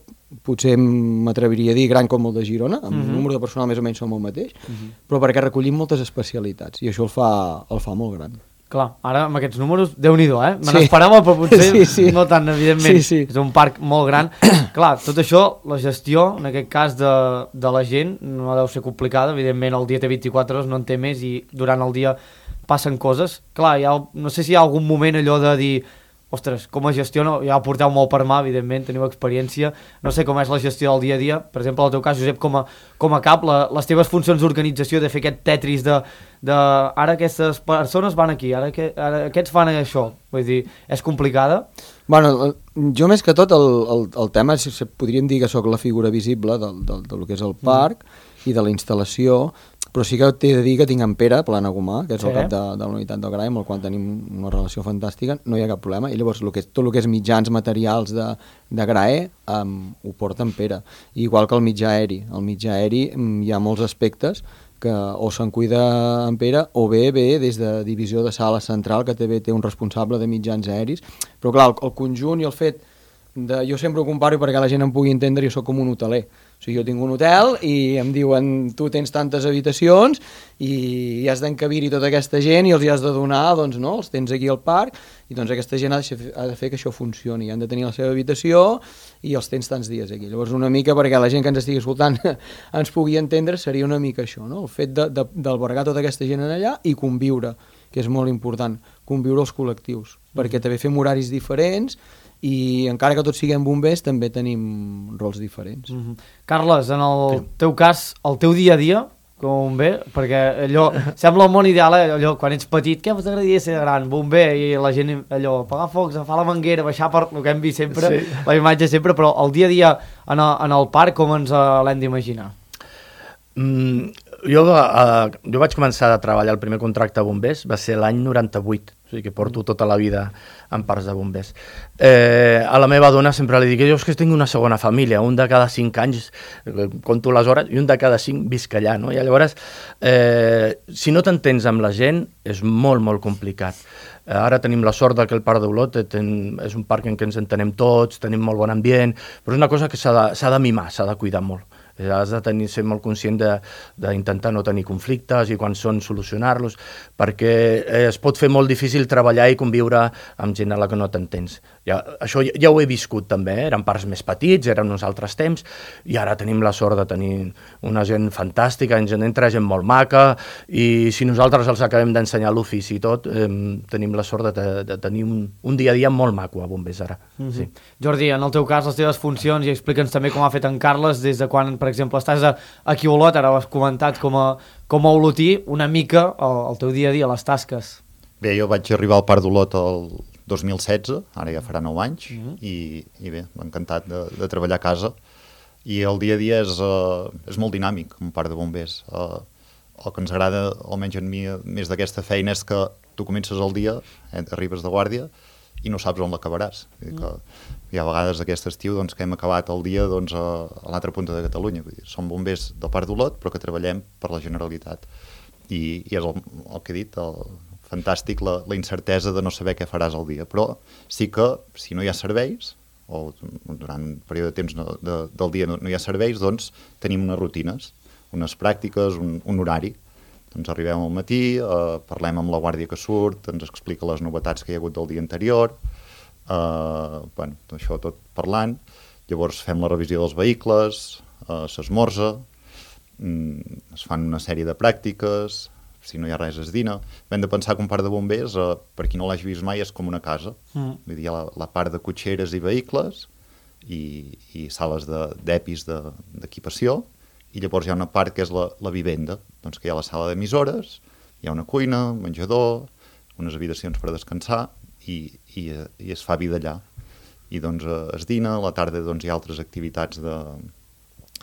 potser m'atreviria a dir gran com el de Girona, amb uh-huh. el número de personal més o menys som el mateix, uh-huh. però perquè recollim moltes especialitats i això el fa, el fa molt gran. Clar, ara amb aquests números, Déu-n'hi-do, eh? Me sí. n'esperava, però potser sí, sí. no tant, evidentment. Sí, sí. És un parc molt gran. Clar, tot això, la gestió, en aquest cas de, de la gent, no deu ser complicada. Evidentment, el dia té vint-i-quatre hores, no en té més, i durant el dia passen coses. Clar, hi ha, no sé si hi ha algun moment allò de dir ostres, com es gestiona, ja ho porteu molt per mà, evidentment, teniu experiència, no sé com és la gestió del dia a dia, per exemple, en el teu cas, Josep, com a, com a cap, la, les teves funcions d'organització, de fer aquest tetris de, de ara aquestes persones van aquí, ara, que, ara aquests fan això, vull dir, és complicada? Bueno, jo més que tot, el, el, el tema, si podríem dir que sóc la figura visible del, del, del que és el parc mm. i de la instal·lació, però sí que t'he de dir que tinc en Pere Planagumà, que és sí. el cap de, de la unitat del Grai, amb el qual tenim una relació fantàstica, no hi ha cap problema, i llavors el que, tot el que és mitjans materials de, de Grae um, ho porta en Pere, igual que el mitjà aeri. El mitjà aeri um, hi ha molts aspectes que o se'n cuida en Pere o bé bé des de divisió de sala central, que també té un responsable de mitjans aeris, però clar, el, el conjunt i el fet de, jo sempre ho comparo perquè la gent em pugui entendre, jo sóc com un hoteler. O sigui, jo tinc un hotel i em diuen tu tens tantes habitacions i has d'encabir-hi tota aquesta gent i els hi has de donar, doncs no, els tens aquí al parc i doncs aquesta gent ha de, fer, ha de fer que això funcioni, han de tenir la seva habitació i els tens tants dies aquí. Llavors una mica perquè la gent que ens estigui escoltant ens pugui entendre seria una mica això, no? El fet d'albergar tota aquesta gent allà i conviure, que és molt important, conviure els col·lectius, perquè també fem horaris diferents i encara que tots siguem bombers també tenim rols diferents. Mm-hmm. Carles, en el sí. teu cas, el teu dia a dia com a bomber, perquè allò sembla el món ideal, eh? Allò, quan ets petit, què t'agradaria ser gran? Bomber, i la gent allò, apagar focs, agafar la manguera, baixar per el que hem vist sempre, sí. la imatge sempre, però el dia a dia en el, en el parc com ens uh, l'hem d'imaginar? Mm, jo, uh, jo vaig començar a treballar el primer contracte a bombers, va ser l'any noranta-vuit, o sigui que porto tota la vida en parcs de bombers. Eh, a la meva dona sempre li dic, jo és que tinc una segona família, un de cada cinc anys, compto les hores, i un de cada cinc visc allà, no? I llavors, eh, si no t'entens amb la gent, és molt, molt complicat. Eh, ara tenim la sort que el Parc d'Olot és un parc en què ens entenem tots, tenim molt bon ambient, però és una cosa que s'ha de, s'ha de mimar, s'ha de cuidar molt. Has de tenir, ser molt conscient d'intentar no tenir conflictes i quan són solucionar-los, perquè eh, es pot fer molt difícil treballar i conviure amb gent a la que no t'entens. Ja, això ja, ja ho he viscut també, eh? Eren parcs més petits, eren uns altres temps, i ara tenim la sort de tenir una gent fantàstica, ens entra gent molt maca, i si nosaltres els acabem d'ensenyar l'ofici i tot, eh, tenim la sort de, de, de tenir un, un dia a dia molt maco a bombers ara. Mm-hmm. Sí. Jordi, en el teu cas, les teves funcions, i explica'ns també com ha fet en Carles, des de quan, per exemple, estàs aquí a Olot, ara ho has comentat com a, com a olotí, una mica el, el teu dia a dia, les tasques. Bé, jo vaig arribar al Parc d'Olot el dos mil setze, ara ja farà nou anys, mm-hmm. i, i bé, m'ha encantat de, de treballar a casa, i el dia a dia és, uh, és molt dinàmic, un parc de bombers. Uh, el que ens agrada, almenys en mi, més d'aquesta feina, és que tu comences el dia, eh, arribes de guàrdia, i no saps on l'acabaràs. Mm. Hi ha vegades aquest estiu doncs, que hem acabat el dia doncs, a, a l'altra punta de Catalunya. Vull dir, som bombers del Parc d'Olot, però que treballem per la Generalitat. I, i és el, el que he dit, el, fantàstic la, la incertesa de no saber què faràs al dia. Però sí que, si no hi ha serveis, o durant un període de temps no, de, del dia no, no hi ha serveis, doncs tenim unes rutines, unes pràctiques, un, un horari. Doncs arribem al matí, eh, parlem amb la guàrdia que surt, ens explica les novetats que hi ha hagut del dia anterior, eh, bueno, això tot parlant, llavors fem la revisió dels vehicles, eh, s'esmorza, mm, es fan una sèrie de pràctiques, si no hi ha res es dina. Hem de pensar que un parc de bombers, eh, per qui no l'hagi vist mai, és com una casa. Mm. Vull dir, hi ha la, la part de cotxeres i vehicles i, i sales d'epis de, d'equipació, i llavors hi ha una part que és la, la vivenda, doncs que hi ha la sala d'emissores, hi ha una cuina, un menjador, unes habitacions per descansar, i, i, i es fa vida allà. I doncs es dina, a la tarda doncs, hi ha altres activitats de,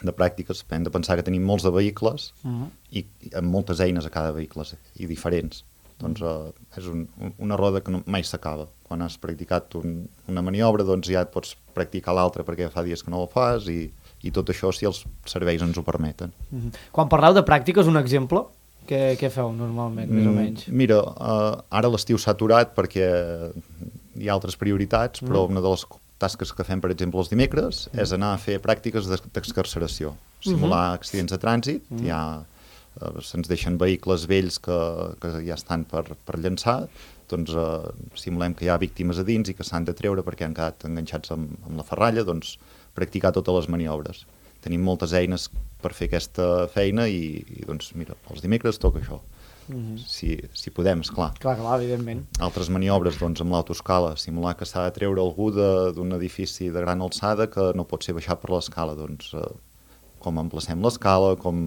de pràctiques, hem de pensar que tenim molts de vehicles Uh-huh. i, i amb moltes eines a cada vehicle i diferents. Doncs uh, és un, una roda que no, mai s'acaba. Quan has practicat un, una maniobra, doncs ja et pots practicar l'altra perquè fa dies que no ho fas i, i tot això si els serveis ens ho permeten. Uh-huh. Quan parleu de pràctiques, un exemple, què, què feu normalment, més o menys? Mm, mira, uh, ara l'estiu s'ha aturat perquè hi ha altres prioritats, però mm. una de les tasques que fem, per exemple, els dimecres, mm. és anar a fer pràctiques d'excarceració, simular mm-hmm. accidents de trànsit, mm. ja uh, se'ns deixen vehicles vells que, que ja estan per, per llançar, doncs uh, simulem que hi ha víctimes a dins i que s'han de treure perquè han quedat enganxats amb, amb la ferralla, doncs practicar totes les maniobres. Tenim moltes eines per fer aquesta feina i, i doncs, mira, els dimecres toca això. Mm-hmm. Si, si podem, esclar. Clar, clar, evidentment. Altres maniobres, doncs, amb l'autoscala, simular que s'ha de treure algú d'un edifici de gran alçada que no pot ser baixat per l'escala, doncs, eh, com emplacem l'escala, com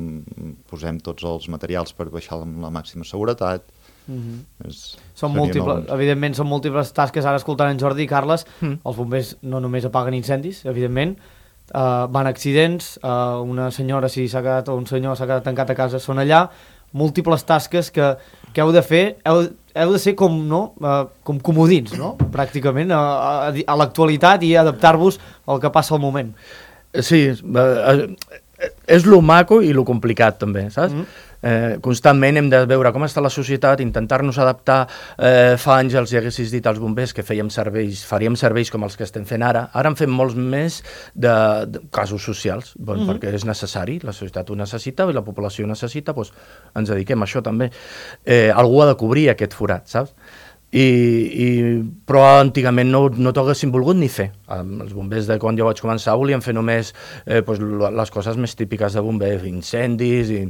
posem tots els materials per baixar amb la màxima seguretat. Mm-hmm. És, són múltiples, no... evidentment són múltiples tasques. Ara escoltant en Jordi i Carles, mm. els bombers no només apaguen incendis, evidentment, uh, van accidents, uh, una senyora si s'ha quedat, o un senyor s'ha quedat tancat a casa, són allà, múltiples tasques que, que heu de fer, heu, heu de ser com, no? uh, com comodins, no? Pràcticament, a, a, a l'actualitat i adaptar-vos al que passa al moment. Sí, és lo maco i lo complicat també, saps? Mm. Eh, constantment hem de veure com està la societat, intentar-nos adaptar. Eh, fa anys els haguessis dit als bombers que fèiem serveis, faríem serveis com els que estem fent ara. Ara en fem molts més de, de casos socials, bon, mm-hmm. perquè és necessari, la societat ho necessita i la població ho necessita, doncs ens dediquem a això també. Eh, algú ha de cobrir aquest forat, saps? I, i, però antigament no, no t'ho haguessin volgut ni fer. Els bombers de quan jo vaig començar volien fer només eh, pues, les coses més típiques de bomber, incendis i,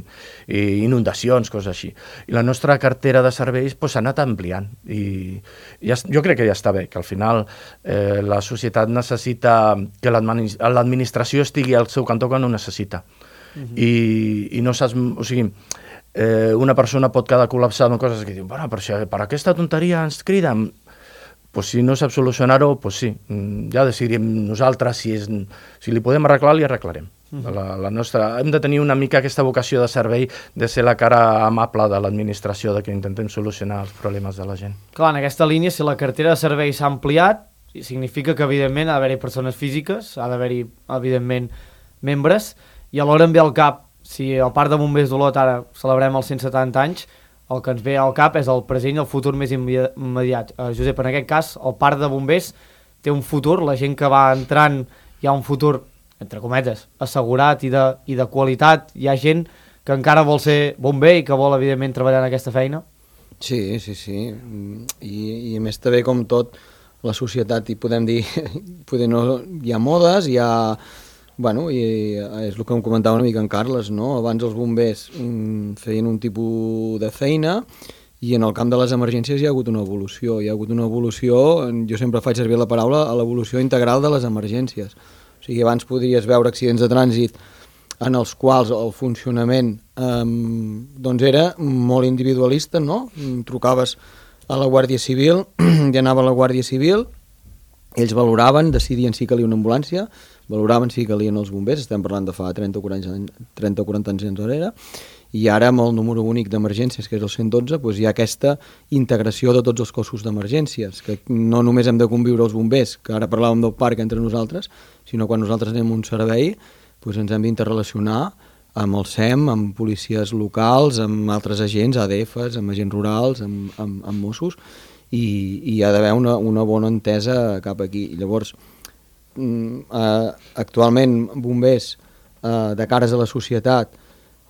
i inundacions, coses així. I la nostra cartera de serveis s'ha pues, anat ampliant i ja, jo crec que ja està bé, que al final eh, la societat necessita que l'administració estigui al seu cantó quan ho necessita. Uh-huh. I, i no saps... O sigui, Eh, una persona pot quedar col·lapsada amb coses que diuen, bueno, per, per aquesta tonteria ens criden. Pues si no sap solucionar-ho, pues sí, ja decidirem nosaltres si, és, si li podem arreglar, li arreglarem. Uh-huh. la, la nostra, hem de tenir una mica aquesta vocació de servei, de ser la cara amable de l'administració, de que intentem solucionar els problemes de la gent. Clar, en aquesta línia, si la cartera de serveis s'ha ampliat, significa que evidentment ha d'haver-hi persones físiques, ha d'haver-hi evidentment membres, i alhora em ve al cap, si al Parc de Bombers d'Olot ara celebrem els cent setanta anys, el que ens ve al cap és el present i el futur més immediat. Uh, Josep, en aquest cas, el Parc de Bombers té un futur, la gent que va entrant hi ha un futur, entre cometes, assegurat i de, i de qualitat. Hi ha gent que encara vol ser bomber i que vol, evidentment, treballar en aquesta feina? Sí, sí, sí. I, i a més també, com tot, la societat, i podem dir, poder no, hi ha modes, hi ha... Bueno, i és el que em comentava una mica en Carles, no? Abans els bombers mm, feien un tipus de feina i en el camp de les emergències hi ha hagut una evolució. Hi ha hagut una evolució, jo sempre faig servir la paraula, a l'evolució integral de les emergències. O sigui, abans podries veure accidents de trànsit en els quals el funcionament eh, doncs era molt individualista, no? Trucaves a la Guàrdia Civil, i anava a la Guàrdia Civil, ells valoraven, decidien si calia una ambulància, valoraven si calien els bombers, estem parlant de fa trenta o quaranta anys enrere, i ara amb el número únic d'emergències, que és el cent dotze, doncs hi ha aquesta integració de tots els cossos d'emergències, que no només hem de conviure els bombers, que ara parlàvem del parc entre nosaltres, sinó quan nosaltres anem a un servei, doncs ens hem d'interrelacionar amb el S E M, amb policies locals, amb altres agents, A D Fs, amb agents rurals, amb, amb, amb Mossos, i, i hi ha d'haver una, una bona entesa cap aquí. I llavors, Uh, actualment bombers uh, de cares a la societat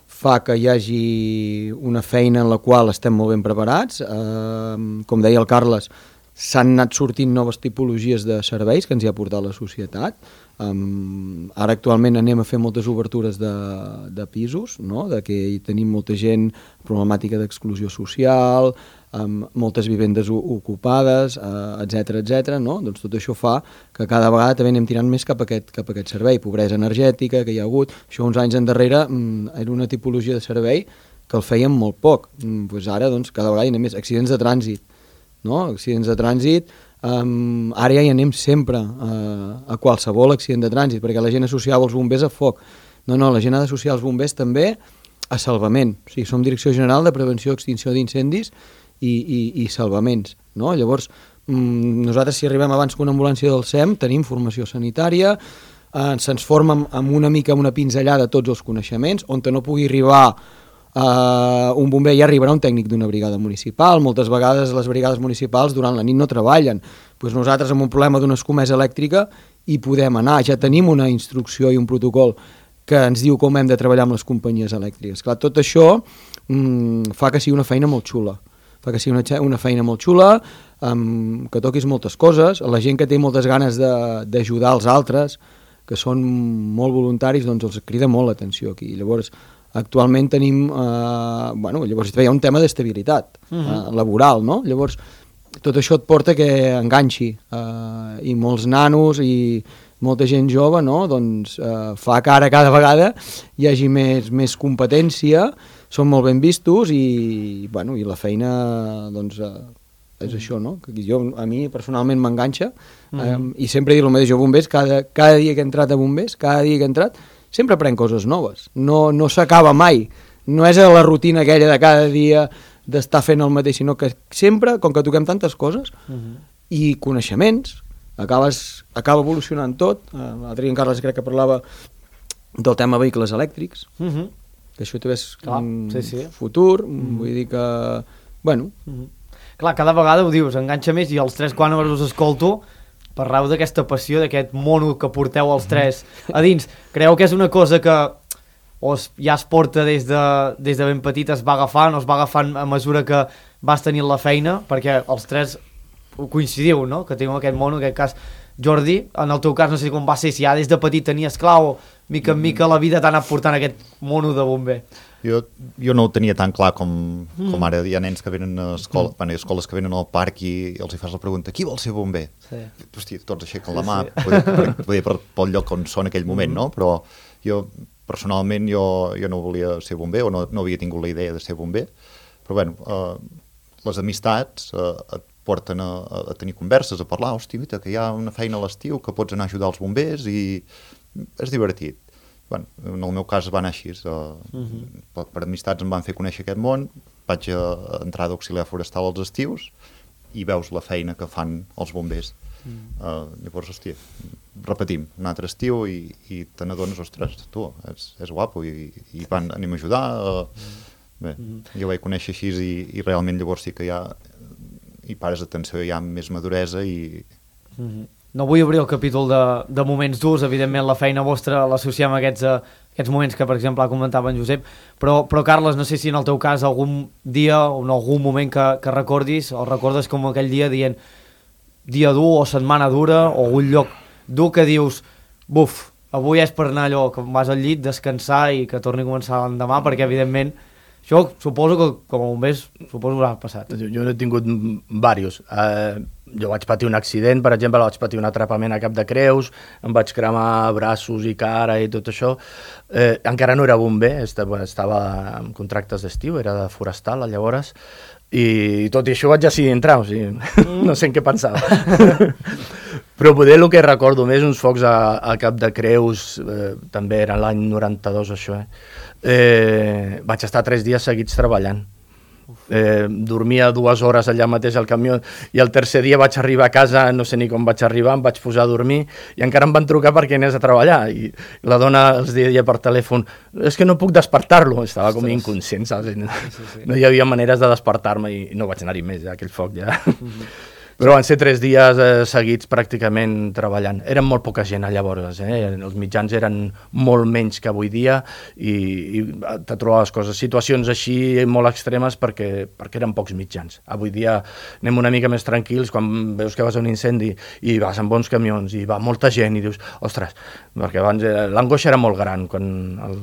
fa que hi hagi una feina en la qual estem molt ben preparats, uh, com deia el Carles, s'han anat sortint noves tipologies de serveis que ens hi ha portat la societat. Um, ara actualment anem a fer moltes obertures de, de pisos, no? De que hi tenim molta gent problemàtica d'exclusió social, amb moltes vivendes ocupades, eh, etcètera, etcètera, no? Doncs tot això fa que cada vegada també anem tirant més cap a aquest, cap a aquest servei. Pobresa energètica que hi ha hagut, això uns anys endarrere mm, era una tipologia de servei que el fèiem molt poc. Mm, doncs ara doncs, cada vegada hi anem més. Accidents de trànsit, no? Accidents de trànsit, um, ara ja hi anem sempre uh, a qualsevol accident de trànsit, perquè la gent associava els bombers a foc. No, no, la gent ha d'associar els bombers també a salvament. O sigui, som Direcció General de Prevenció i Extinció d'Incendis i, i, i salvaments, no? Llavors, mmm, nosaltres si arribem abans que una ambulància del S E M tenim formació sanitària, eh, se'ns forma amb, amb una mica una pinzellada tots els coneixements, on no pugui arribar Uh, un bomber, ja arribarà un tècnic d'una brigada municipal. Moltes vegades les brigades municipals durant la nit no treballen, pues nosaltres amb un problema d'una escomesa elèctrica hi podem anar, ja tenim una instrucció i un protocol que ens diu com hem de treballar amb les companyies elèctriques. Clar, tot això mm, fa que sigui una feina molt xula, fa que sigui una, una feina molt xula, um, que toquis moltes coses, la gent que té moltes ganes d'ajudar els altres, que són molt voluntaris, doncs els crida molt l'atenció aquí. Llavors, actualment tenim, eh, bueno, llavors hi ha un tema d'estabilitat uh -huh. eh, laboral, no? Llavors tot això et porta que enganxi eh, i molts nanos i molta gent jove, no? Doncs eh, fa que ara cada vegada hi hagi més, més competència, són molt ben vistos i, bueno, i la feina doncs, eh, és això, no? Que jo, a mi personalment m'enganxa uh -huh. eh, i sempre dic el mateix, jo bombers, cada, cada dia que he entrat a bombers, cada dia que he entrat sempre aprenc coses noves, no, no s'acaba mai, no és la rutina aquella de cada dia d'estar fent el mateix, sinó que sempre, com que toquem tantes coses uh -huh. i coneixements, acabes, acaba evolucionant tot. L'altre dia en Carles crec que parlava del tema vehicles elèctrics, uh -huh. que això també és Clar, un sí, sí. futur, uh -huh. vull dir que, bueno... Uh -huh. Clar, cada vegada ho dius, enganxa més, i els tres quan us escolto parleu d'aquesta passió, d'aquest mono que porteu els tres a dins. Creieu que és una cosa que o es, ja es porta des de, des de ben petit, es va agafant, o es va agafant a mesura que vas tenint la feina, perquè els tres coincidiu, no?, que teniu aquest mono, en aquest cas Jordi, en el teu cas no sé com va ser, si ja des de petit tenies clar o mica en mica la vida t'ha anat portant aquest mono de bomber. Jo, jo no ho tenia tan clar com, com mm. ara hi ha nens que venen a escola, mm. bueno, escoles que venen al parc i, i els hi fas la pregunta, qui vol ser bomber? Sí. Hosti, tots aixequen la mà, sí. poder, per, poder per, pel lloc on són en aquell moment, mm. no? Però jo, personalment, jo, jo no volia ser bomber, o no, no havia tingut la idea de ser bomber, però bueno, eh, les amistats eh, et porten a, a tenir converses, a parlar, hosti, mira, que hi ha una feina a l'estiu, que pots anar a ajudar els bombers i és divertit. Bueno, en el meu cas va anar així, uh, uh-huh. per, per amistats em van fer conèixer aquest món, vaig a, a entrar d'auxiliar forestal als estius i veus la feina que fan els bombers. Uh, uh, llavors, hòstia, repetim, un altre estiu i, i te n'adones, ostres, tu, és, és guapo i, i van, anem a ajudar. Uh, bé, uh-huh. jo vaig conèixer així i, i realment llavors sí que ja hi pares atenció, hi ha més maduresa i... Uh-huh. No vull obrir el capítol de, de moments durs, evidentment la feina vostra l'associem a aquests, a aquests moments que, per exemple, comentava en Josep, però, però Carles, no sé si en el teu cas algun dia o en algun moment que, que recordis, o recordes com aquell dia dient dia dur o setmana dura o un lloc dur que dius, buf, avui és per anar allò, que vas al llit, descansar i que torni a començar l'endemà, perquè evidentment això suposo que com a bombers suposo que haurà passat. Jo, jo n'he tingut diversos. Uh, jo vaig patir un accident, per exemple, vaig patir un atrapament a Cap de Creus, em vaig cremar braços i cara i tot això. Eh, encara no era bomber, estava, estava en contractes d'estiu, era de forestal llavors, i tot i això vaig decidir entrar, o sigui, mm. no sé en què pensava. Però poder el que recordo més, uns focs a, a Cap de Creus, eh, també era l'any noranta-dos això, eh? Eh, vaig estar tres dies seguits treballant. Eh, dormia dues hores allà mateix al camió i el tercer dia vaig arribar a casa, no sé ni com vaig arribar, em vaig posar a dormir i encara em van trucar perquè anés a treballar i la dona els deia per telèfon, és que no puc despertar-lo, estava com inconscient, saps? No, sí, sí. no hi havia maneres de despertar-me i no vaig anar-hi més, ja, aquell foc ja... Mm-hmm. Però van ser tres dies eh, seguits pràcticament treballant. Eren molt poca gent llavors, eh? Els mitjans eren molt menys que avui dia i, i te trobaves coses, situacions així molt extremes perquè, perquè eren pocs mitjans. Avui dia anem una mica més tranquils quan veus que vas a un incendi i vas amb bons camions i va molta gent i dius, ostres, perquè abans eh, l'angoixa era molt gran quan al,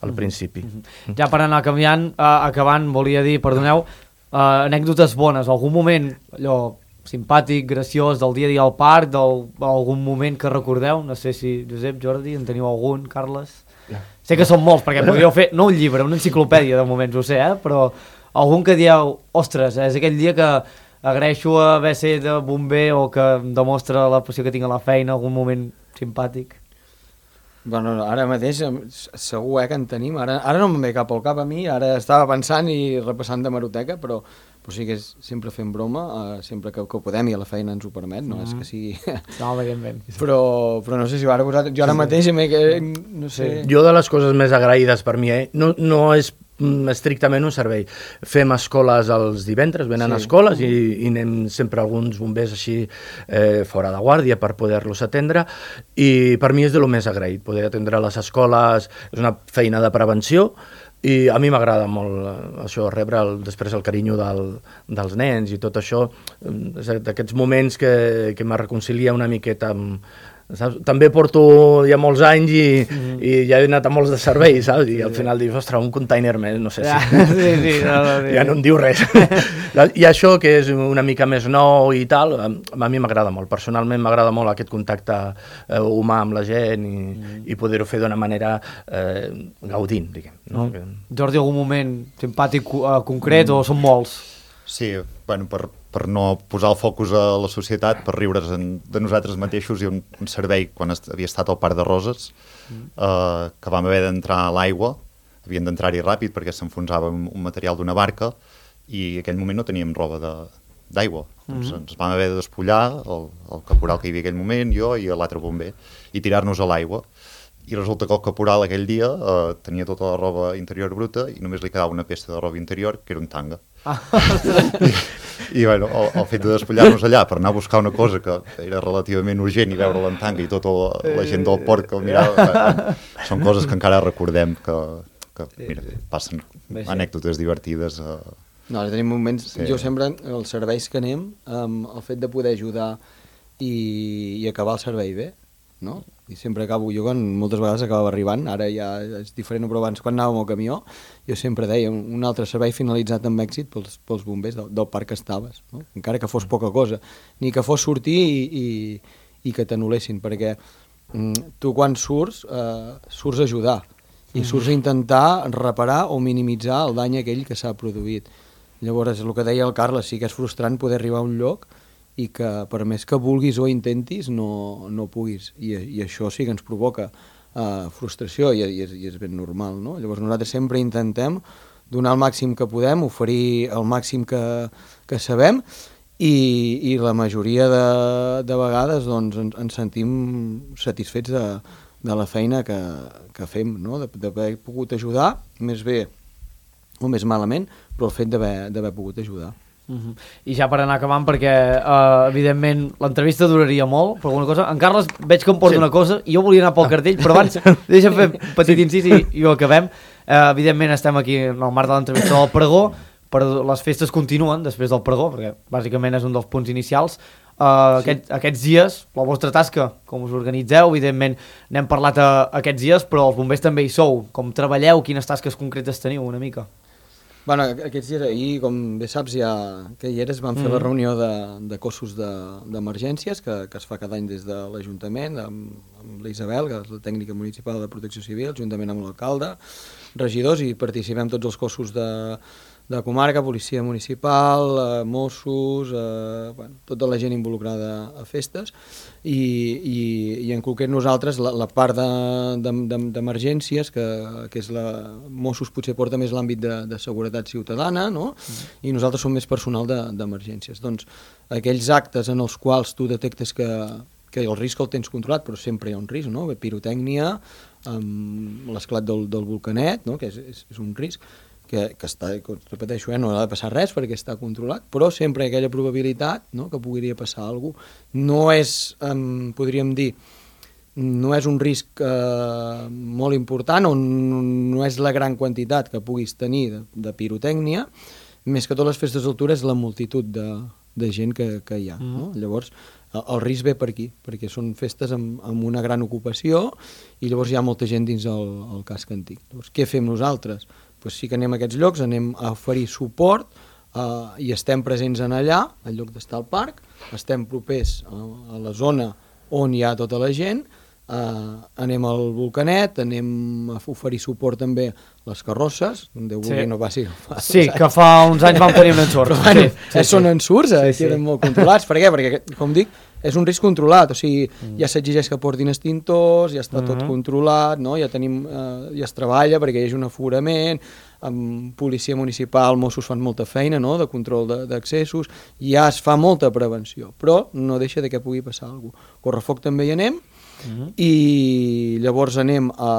al principi. Mm-hmm. Ja per anar canviant, eh, acabant, volia dir, perdoneu, eh, anècdotes bones, algun moment allò simpàtic, graciós, del dia a dia al parc, d'algun moment que recordeu, no sé si Josep, Jordi, en teniu algun, Carles? No. Sé que són molts, perquè podríeu fer, no un llibre, una enciclopèdia de moments, ho sé, eh? Però algun que dieu, ostres, és aquell dia que agraeixo haver ser de bomber o que em demostra la passió que tinc a la feina, algun moment simpàtic? Bueno, ara mateix segur eh, que en tenim, ara, ara no em ve cap al cap a mi, ara estava pensant i repassant d'hemeroteca, però, però sí que és, sempre fem broma, uh, sempre que, que ho podem i a la feina ens ho permet, no mm. és que sigui... No, evidentment. Però, però no sé si ho ara posat, jo ara mateix, que, no sé... Jo de les coses més agraïdes per mi, eh, no, no és estrictament un servei. Fem escoles els divendres, venen sí. escoles i, i anem sempre alguns bombers així eh, fora de guàrdia per poder-los atendre i per mi és de lo més agraït, poder atendre les escoles, és una feina de prevenció i a mi m'agrada molt això, rebre el, després el carinyo del, dels nens i tot això, d'aquests moments que, que me reconcilia una miqueta amb, saps? També porto ja molts anys i, mm. i ja he anat a molts de serveis, saps? I al final dius, ostres, un container més, no sé si... Ja, sí, sí, no, no, sí. Ja no em diu res. I això, que és una mica més nou i tal, a mi m'agrada molt. Personalment m'agrada molt aquest contacte eh, humà amb la gent i, mm. i poder-ho fer d'una manera eh, gaudint, diguem. No? Mm. Jordi, algun moment simpàtic uh, concret mm. o són molts? Sí, bueno, per, per no posar el focus a la societat, per riure's en, de nosaltres mateixos, i un, un servei, quan est, havia estat al Parc de Roses, mm. eh, que vam haver d'entrar a l'aigua, havien d'entrar-hi ràpid perquè s'enfonsava un, un material d'una barca, i en aquell moment no teníem roba d'aigua. Mm-hmm. Doncs ens vam haver de despullar, el, el caporal que hi havia en aquell moment, jo i l'altre bomber, i tirar-nos a l'aigua. I resulta que el caporal aquell dia eh, tenia tota la roba interior bruta i només li quedava una peça de roba interior, que era un tanga. Ah. I, i bueno, el, el fet de despullar-nos allà per anar a buscar una cosa que era relativament urgent i veure-la en tanga i tota la, la gent del port que el mirava, eh, són coses que encara recordem que, que mira, passen anècdotes divertides. Eh. No, tenim moments, sí. Jo sempre, els serveis que anem, um, el fet de poder ajudar i, i acabar el servei bé, no? I sempre acabo, jo quan moltes vegades acabava arribant, ara ja és diferent, però abans quan anàvem al camió, jo sempre deia un altre servei finalitzat amb èxit pels, pels bombers del, del parc que estaves, no? Encara que fos poca cosa, ni que fos sortir i, i, i que t'anul·lessin, perquè mm, tu quan surts, eh, surts a ajudar, i surts a intentar reparar o minimitzar el dany aquell que s'ha produït. Llavors, el que deia el Carles, sí que és frustrant poder arribar a un lloc i que per més que vulguis o intentis no, no puguis, I, i això sí que ens provoca uh, frustració i, i, és, i és ben normal, no? Llavors nosaltres sempre intentem donar el màxim que podem, oferir el màxim que, que sabem i, i la majoria de, de vegades doncs, ens, ens sentim satisfets de, de la feina que, que fem, no? D'haver pogut ajudar, més bé o més malament, però el fet d'haver pogut ajudar. Uh-huh. I ja per anar acabant, perquè uh, evidentment l'entrevista duraria molt per alguna cosa. En Carles veig que em porta sí. una cosa i jo volia anar pel ah. cartell, però abans deixa'm fer un petit incís i, i ho acabem. Uh, evidentment estem aquí en el marc de l'entrevista del pregó, però les festes continuen després del pregó, perquè bàsicament és un dels punts inicials. Uh, sí. aquest, aquests dies, la vostra tasca, com us organitzeu, evidentment n'hem parlat a, a aquests dies, però els bombers també hi sou. Com treballeu, quines tasques concretes teniu una mica? Bueno, aquests dies ahir, com bé saps, ja que hi eres, vam fer mm. la reunió de, de cossos d'emergències de, que, que es fa cada any des de l'Ajuntament, amb, amb l'Isabel, que és la tècnica municipal de protecció civil, juntament amb l'alcalde, regidors, i participem tots els cossos de, de comarca, policia municipal, eh, Mossos, eh, bueno, tota la gent involucrada a festes, i, i, i en concret nosaltres la, la part d'emergències, de, de, que, que és la... Mossos potser porta més l'àmbit de, de seguretat ciutadana, no? Mm. I nosaltres som més personal d'emergències. De, doncs aquells actes en els quals tu detectes que, que el risc el tens controlat, però sempre hi ha un risc, no? Pirotècnia, amb l'esclat del, del volcanet, no? Que és, és, és un risc, que, que està, que repeteixo, eh, no ha de passar res perquè està controlat, però sempre hi ha aquella probabilitat, no?, que podria passar alguna cosa. No és, um, podríem dir, no és un risc uh, molt important o no és la gran quantitat que puguis tenir de, de pirotècnia, més que totes les festes d'altura és la multitud de, de gent que, que hi ha. Mm. No? Llavors, el, el risc ve per aquí, perquè són festes amb, amb una gran ocupació i llavors hi ha molta gent dins el, el casc antic. Llavors, què fem nosaltres? Pues sí que anem a aquests llocs, anem a oferir suport uh, i estem presents en allà, al lloc d'estar al parc, estem propers a, a la zona on hi ha tota la gent, Uh, anem al Volcanet, anem a oferir suport també a les carrosses, Déu vulgui no passi. Sí, que fa uns anys vam tenir un ensurt. Però bueno, sí, sí, són sí. ensurts, eh, sí, sí. queden molt controlats. Per què? Perquè, com dic, és un risc controlat, o sigui, mm. ja s'exigeix que portin extintors, ja està mm-hmm. tot controlat, no? Ja tenim, eh, ja es treballa perquè hi hagi un aforament, amb policia municipal, Mossos fan molta feina, no?, de control d'accessos, ja es fa molta prevenció, però no deixa de que pugui passar alguna cosa. Correfoc també hi anem, mm-hmm. i llavors anem a,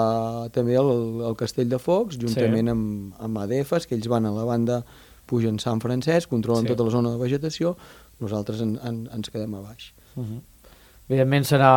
també al, al Castell de Focs, juntament sí. amb, amb A D Fs, que ells van a la banda, pugen Sant Francesc, controlen sí. tota la zona de vegetació, nosaltres en, en, ens quedem a baix. Uh-huh. Evidentment serà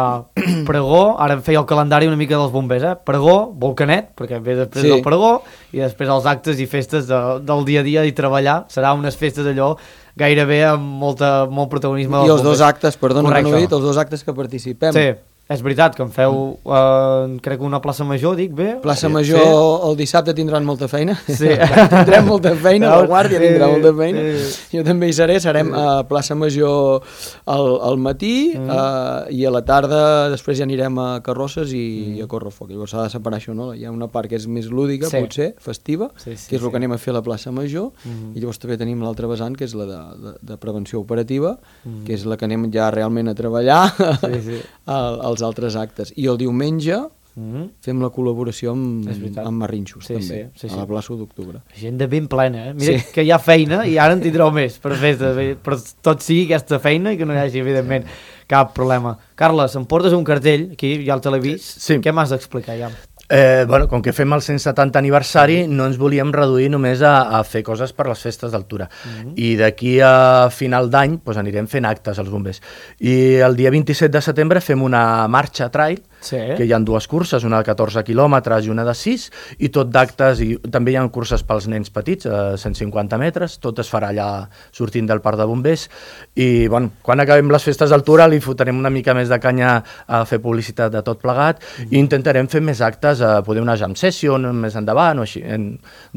pregó, ara em feia el calendari una mica dels bombers, eh? Pregó, Volcanet, perquè ve després sí. del pregó, i després els actes i festes de, del dia a dia i treballar, serà unes festes allò gairebé amb molta, molt protagonisme dels bombers. I els bombers. dos actes, perdona Correcte. que no he dit, els dos actes que participem. Sí. És veritat que em feu, eh, crec que una plaça major, dic bé? Plaça major, sí. El dissabte tindran molta feina. Sí. Tindrem molta feina, la Guàrdia sí, tindrà molta feina. Sí. Jo també hi seré, serem a plaça major al, al matí mm. eh, i a la tarda després ja anirem a Carrosses i, mm. i a Correfoc. Llavors s'ha de separar això, no? Hi ha una part que és més lúdica, sí. potser, festiva, sí, sí, que és el sí. que anem a fer a la plaça major, mm. i llavors també tenim l'altra vessant, que és la de, de, de prevenció operativa, mm. que és la que anem ja realment a treballar sí, sí. al, als altres actes. I el diumenge mm-hmm. fem la col·laboració amb, amb Marrinxos, sí, també, sí, sí, sí. a la plaça d'octubre. Gent de ben plena, eh? Mira sí. que hi ha feina i ara en tindreu més per festes, però tot sigui aquesta feina i que no hi hagi, evidentment, cap problema. Carles, em portes un cartell, aquí ja el te l'he vist, sí. Què m'has d'explicar ja? Eh, bueno, com que fem el cent setanta aniversari, no ens volíem reduir només a, a fer coses per les festes d'altura. Mm-hmm. I d'aquí a final d'any pues, anirem fent actes als bombers. I el dia vint-i-set de setembre fem una marxa trail, sí. que hi ha dues curses, una de catorze quilòmetres i una de sis, i tot d'actes, i també hi ha curses pels nens petits, a cent cinquanta metres, tot es farà allà sortint del parc de bombers, i bueno, quan acabem les festes d'altura li fotrem una mica més de canya a fer publicitat de tot plegat, mm-hmm. i intentarem fer més actes, a poder una jam session més endavant o així. En,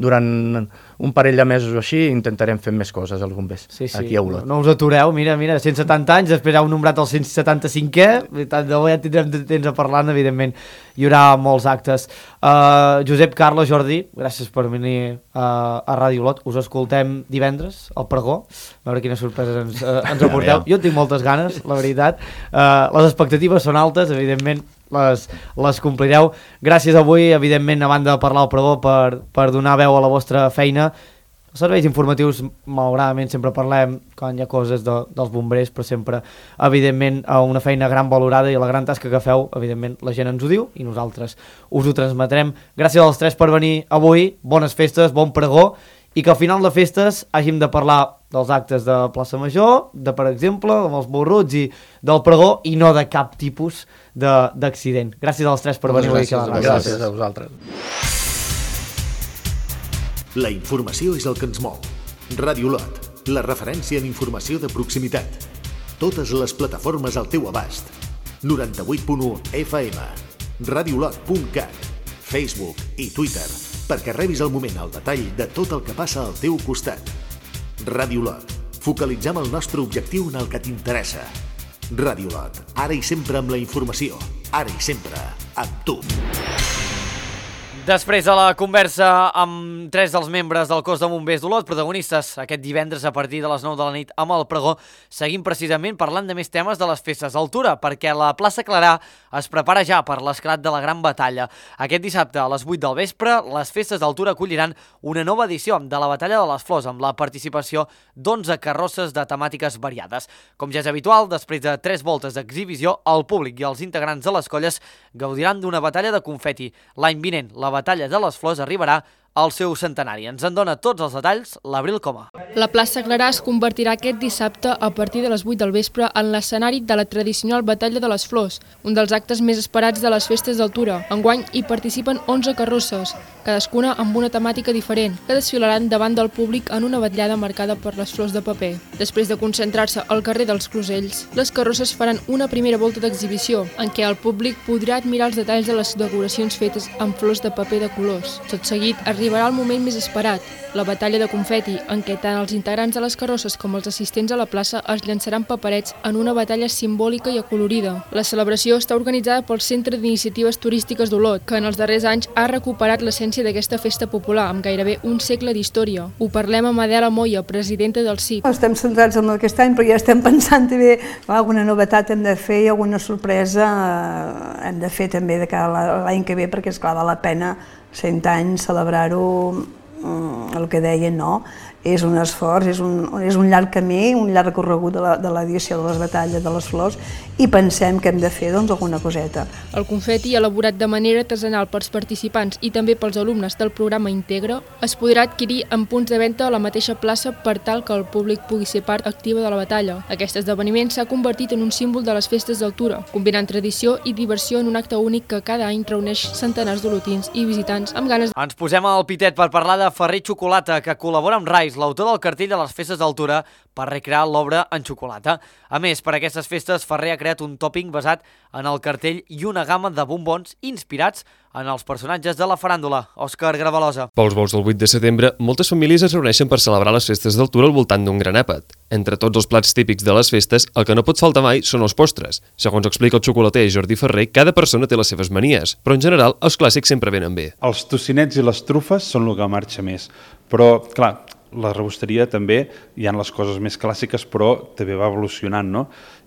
durant un parell de mesos o així intentarem fer més coses als bombers, sí, sí. aquí a Olot. No, no us atureu, mira, mira, cent setanta anys, després heu nombrat el cent setanta-cinquè, tant de bo ja tindrem temps a parlar, evidentment hi haurà molts actes. Uh, Josep, Carles, Jordi, gràcies per venir uh, a Ràdio Olot. Us escoltem divendres al pregó, a veure quines sorpreses ens, uh, ens aporteu. Jo tinc moltes ganes, la veritat. Uh, les expectatives són altes, evidentment les, les complireu. Gràcies avui, evidentment, a banda de parlar al pregó, per, per donar veu a la vostra feina. Els serveis informatius, malauradament, sempre parlem quan hi ha coses de, dels bombers, però sempre, evidentment, una feina gran valorada i la gran tasca que feu, evidentment, la gent ens ho diu i nosaltres us ho transmetrem. Gràcies als tres per venir avui, bones festes, bon pregó, i que al final de festes hàgim de parlar dels actes de plaça Major, de, per exemple, amb els borruts i del pregó, i no de cap tipus d'accident. Gràcies als tres per venir avui. Gràcies, gràcies a vosaltres. La informació és el que ens mou. Ràdio Olot, la referència en informació de proximitat. Totes les plataformes al teu abast. noranta-vuit punt u F M, radiolot punt cat, Facebook i Twitter, perquè rebis al moment el detall de tot el que passa al teu costat. Ràdio Olot, focalitzem el nostre objectiu en el que t'interessa. Ràdio Olot, ara i sempre amb la informació, ara i sempre amb tu. Després de la conversa amb tres dels membres del cos de bombers d'Olot, protagonistes aquest divendres a partir de les nou de la nit amb el pregó, seguim precisament parlant de més temes de les festes d'altura, perquè la plaça Clarà es prepara ja per l'esclat de la Gran Batalla. Aquest dissabte a les vuit del vespre, les festes d'altura acolliran una nova edició de la Batalla de les Flors, amb la participació d'onze carrosses de temàtiques variades. Com ja és habitual, després de tres voltes d'exhibició, el públic i els integrants de les colles gaudiran d'una batalla de confeti. L'any vinent, la Batalla de les Flors arribarà al seu centenari. Ens en dona tots els detalls l'Abril Coma. La plaça Clarà es convertirà aquest dissabte a partir de les vuit del vespre en l'escenari de la tradicional Batalla de les Flors, un dels actes més esperats de les festes d'altura. Enguany hi participen onze carrosses, cadascuna amb una temàtica diferent, que desfilaran davant del públic en una vetllada marcada per les flors de paper. Després de concentrar-se al carrer dels Closells, les carrosses faran una primera volta d'exhibició, en què el públic podrà admirar els detalls de les decoracions fetes amb flors de paper de colors. Tot seguit arriba arribarà el moment més esperat, la batalla de confeti, en què tant els integrants de les carrosses com els assistents a la plaça es llançaran paperets en una batalla simbòlica i acolorida. La celebració està organitzada pel Centre d'Iniciatives Turístiques d'Olot, que en els darrers anys ha recuperat l'essència d'aquesta festa popular, amb gairebé un segle d'història. Ho parlem amb Adela Moya, presidenta del C I P. Estem centrats en aquest any, però ja estem pensant també alguna novetat hem de fer i alguna sorpresa hem de fer també de cara a l'any que ve, perquè esclar, val la pena cent anys celebrar-ho, el que deien, no? És un esforç, és un, és un llarg camí, un llarg recorregut de l'edició de les batalles de les flors i pensem que hem de fer doncs, alguna coseta. El confeti, elaborat de manera artesanal pels participants i també pels alumnes del programa Integra, es podrà adquirir en punts de venda a la mateixa plaça per tal que el públic pugui ser part activa de la batalla. Aquest esdeveniment s'ha convertit en un símbol de les festes d'Altura, combinant tradició i diversió en un acte únic que cada any reuneix centenars d'olotins i visitants amb ganes... Ens posem al pitet per parlar de Ferrer Xocolata, que col·labora amb Rais, l'autor del cartell de les festes d'Altura, per recrear l'obra en xocolata. A més, per aquestes festes, Ferrer ha creat un tòping basat en el cartell i una gamma de bombons inspirats en els personatges de la faràndula. Òscar Gravalosa. Pels bous del vuit de setembre, moltes famílies es reuneixen per celebrar les festes d'Altura al voltant d'un gran àpat. Entre tots els plats típics de les festes, el que no pot faltar mai són els postres. Segons explica el xocolater Jordi Ferrer, cada persona té les seves manies, però en general els clàssics sempre venen bé. Els tocinets i les trufes són el que marxa més, però clar, la rebosteria també, hi ha les coses més clàssiques, però també va evolucionant, no?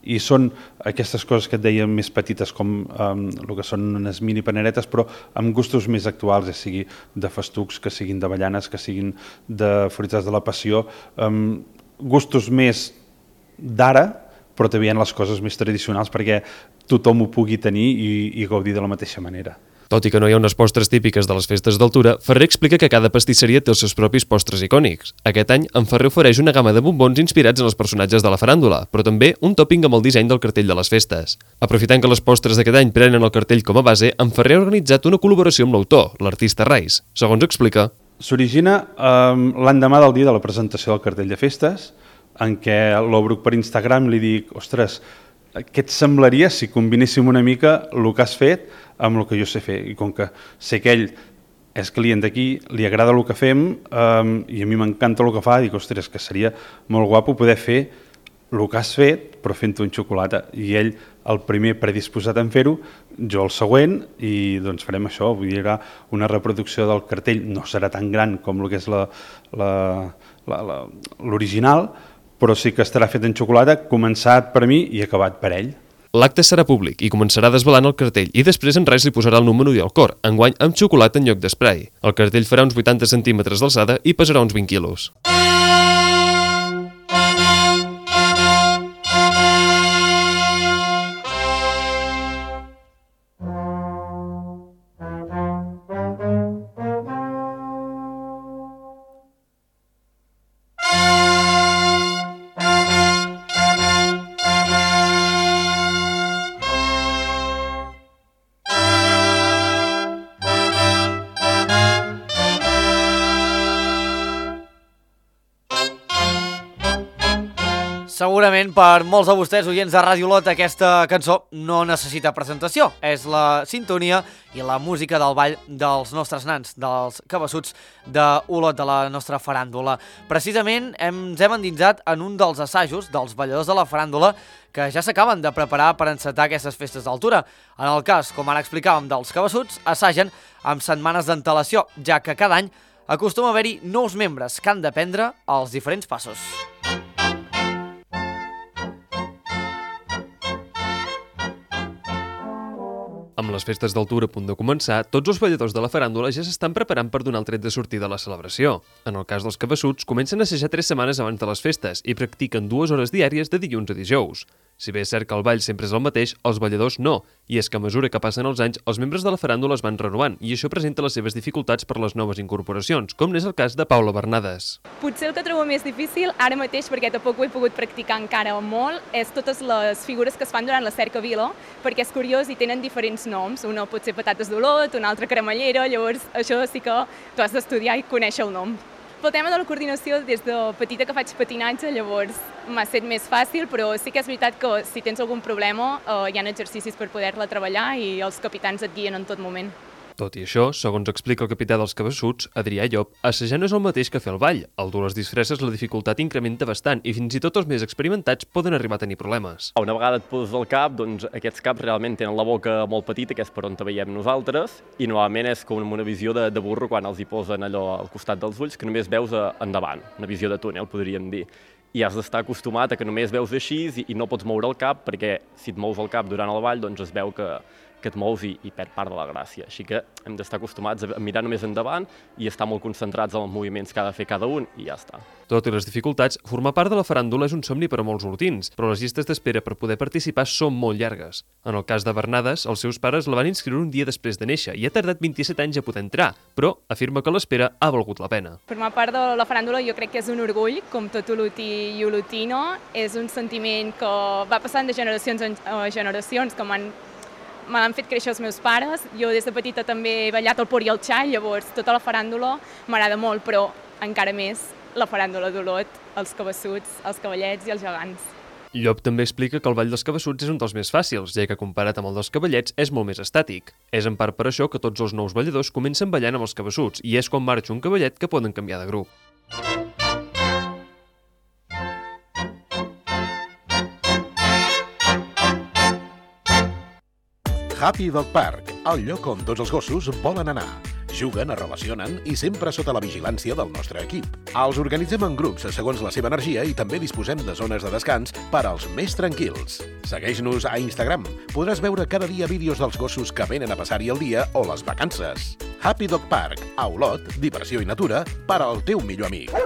I són aquestes coses que et deia més petites, com um, el que són unes mini paneretes, però amb gustos més actuals, ja sigui de festucs, que siguin d'avellanes, que siguin de fruites de la passió, um, gustos més d'ara, però també hi ha les coses més tradicionals perquè tothom ho pugui tenir i, i gaudir de la mateixa manera. Tot i que no hi ha unes postres típiques de les festes d'Altura, Ferrer explica que cada pastisseria té els seus propis postres icònics. Aquest any, en Ferrer ofereix una gamma de bombons inspirats en els personatges de la faràndula, però també un tòping amb el disseny del cartell de les festes. Aprofitant que les postres d'aquest any prenen el cartell com a base, en Ferrer ha organitzat una col·laboració amb l'autor, l'artista Rais. Segons explica... S'origina um, l'endemà del dia de la presentació del cartell de festes, en què l'obro per Instagram li dic, ostres, què et semblaria si combinéssim una mica el que has fet amb el que jo sé fer? I com que sé que ell és client d'aquí, li agrada el que fem um, i a mi m'encanta el que fa, dic, ostres, que seria molt guapo poder fer el que has fet però fent-ho en xocolata. I ell, el primer predisposat en fer-ho, jo el següent, i doncs farem això, vull dir, una reproducció del cartell, no serà tan gran com el que és l'original, però sí que estarà fet en xocolata, començat per mi i acabat per ell. L'acte serà públic i començarà desvelant el cartell i després en Rais li posarà el número i el cor, enguany amb xocolata en lloc d'esprai. El cartell farà uns vuitanta centímetres d'alçada i pesarà uns vint quilos. Segurament per molts de vostès, oients de Ràdio Olot, aquesta cançó no necessita presentació. És la sintonia i la música del ball dels nostres nans, dels cabassuts d'Olot, de la nostra faràndula. Precisament ens hem endinsat en un dels assajos dels balladors de la faràndula que ja s'acaben de preparar per encetar aquestes festes d'Altura. En el cas, com ara explicàvem, dels cabassuts, assagen amb setmanes d'antelació, ja que cada any acostuma a haver-hi nous membres que han d'aprendre els diferents passos. Amb les festes d'Altura a punt de començar, tots els balladors de la faràndula ja s'estan preparant per donar el tret de sortida a la celebració. En el cas dels cabassuts, comencen a assajar tres setmanes abans de les festes i practiquen dues hores diàries de dilluns a dijous. Si bé és cert que el ball sempre és el mateix, els balladors no, i és que a mesura que passen els anys, els membres de la faràndula es van renovant, i això presenta les seves dificultats per les noves incorporacions, com n'és el cas de Paula Bernades. Potser el que trobo més difícil, ara mateix, perquè tampoc ho he pogut practicar encara molt, és totes les figures que es fan durant la cercavila, perquè és curiós i tenen diferents noms. Una pot ser patates d'Olot, una altra cremallera, llavors això sí que tu has d'estudiar i conèixer el nom. Pel tema de la coordinació, des de petita que faig patinatge, llavors m'ha estat més fàcil, però sí que és veritat que si tens algun problema eh, hi ha exercicis per poder-la treballar i els capitans et guien en tot moment. Tot i això, segons explica el capità dels Cabeçuts, Adrià Llop, assajar no és el mateix que fer el ball. Al dur les disfresses la dificultat incrementa bastant i fins i tot els més experimentats poden arribar a tenir problemes. Una vegada et poses el cap, doncs aquests caps realment tenen la boca molt petita, que és per on te veiem nosaltres, i normalment és com una visió de, de burro quan els hi posen allò al costat dels ulls, que només veus endavant, una visió de túnel, podríem dir. I has d'estar acostumat a que només veus així i, i no pots moure el cap, perquè si et mous el cap durant el ball, doncs es veu que que et mous i, i perd part de la gràcia. Així que hem d'estar acostumats a mirar només endavant i estar molt concentrats en els moviments que ha de fer cada un i ja està. Tot i les dificultats, formar part de la faràndula és un somni per a molts hortins, però les llistes d'espera per poder participar són molt llargues. En el cas de Bernades, els seus pares la van inscriure un dia després de néixer i ha tardat vint-i-set anys a poder entrar, però afirma que l'espera ha valgut la pena. Formar part de la faràndula jo crec que és un orgull, com tot olotí i olotino. És un sentiment que va passant de generacions en generacions, que m'han me l'han fet créixer els meus pares. Jo des de petita també he ballat el por i el xall, llavors tota la faràndula m'agrada molt, però encara més la faràndula d'Olot, els cabeçuts, els cavallets i els gegants. Llop també explica que el ball dels cabeçuts és un dels més fàcils, ja que comparat amb el dels cavallets és molt més estàtic. És en part per això que tots els nous balladors comencen ballant amb els cabeçuts i és quan marxa un cavallet que poden canviar de grup. Happy Dog Park, el lloc on tots els gossos volen anar. Juguen, es relacionen i sempre sota la vigilància del nostre equip. Els organitzem en grups segons la seva energia i també disposem de zones de descans per als més tranquils. Segueix-nos a Instagram. Podràs veure cada dia vídeos dels gossos que venen a passar-hi el dia o les vacances. Happy Dog Park, a Olot, diversió i natura per al teu millor amic.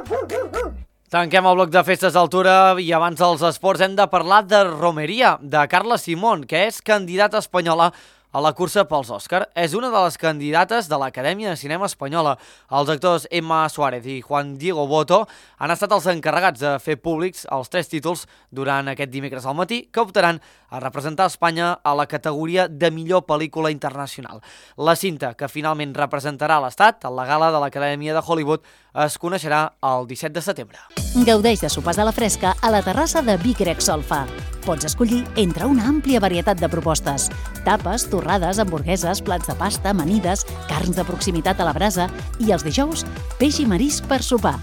Tanquem el bloc de festes d'altura i abans dels esports hem de parlar de romeria, de Carla Simón, que és candidata espanyola a la cursa pels Òscar. És una de les candidates de l'Acadèmia de Cinema Espanyola. Els actors Emma Suárez i Juan Diego Boto han estat els encarregats de fer públics els tres títols durant aquest dimecres al matí, que optaran a representar Espanya a la categoria de millor pel·lícula internacional. La cinta, que finalment representarà l'Estat a la gala de l'Acadèmia de Hollywood, es coneixerà el disset de setembre. Gaudeix de sopars a la fresca a la terrassa de Vic Rexolfa. Pots escollir entre una àmplia varietat de propostes. Tapes, torrades, hamburgueses, plats de pasta, amanides, carns de proximitat a la brasa i els dijous, peix i marisc per sopar.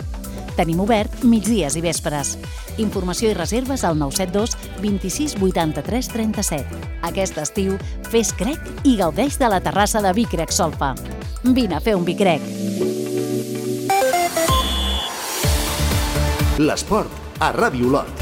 Tenim obert migdies i vespres. Informació i reserves al nou set dos vint-i-sis vuitanta-tres trenta-set. Aquest estiu, fes crec i gaudeix de la terrassa de Vic Rexolfa. Vine a fer un bicrec. L'esport a Ràdio Olot.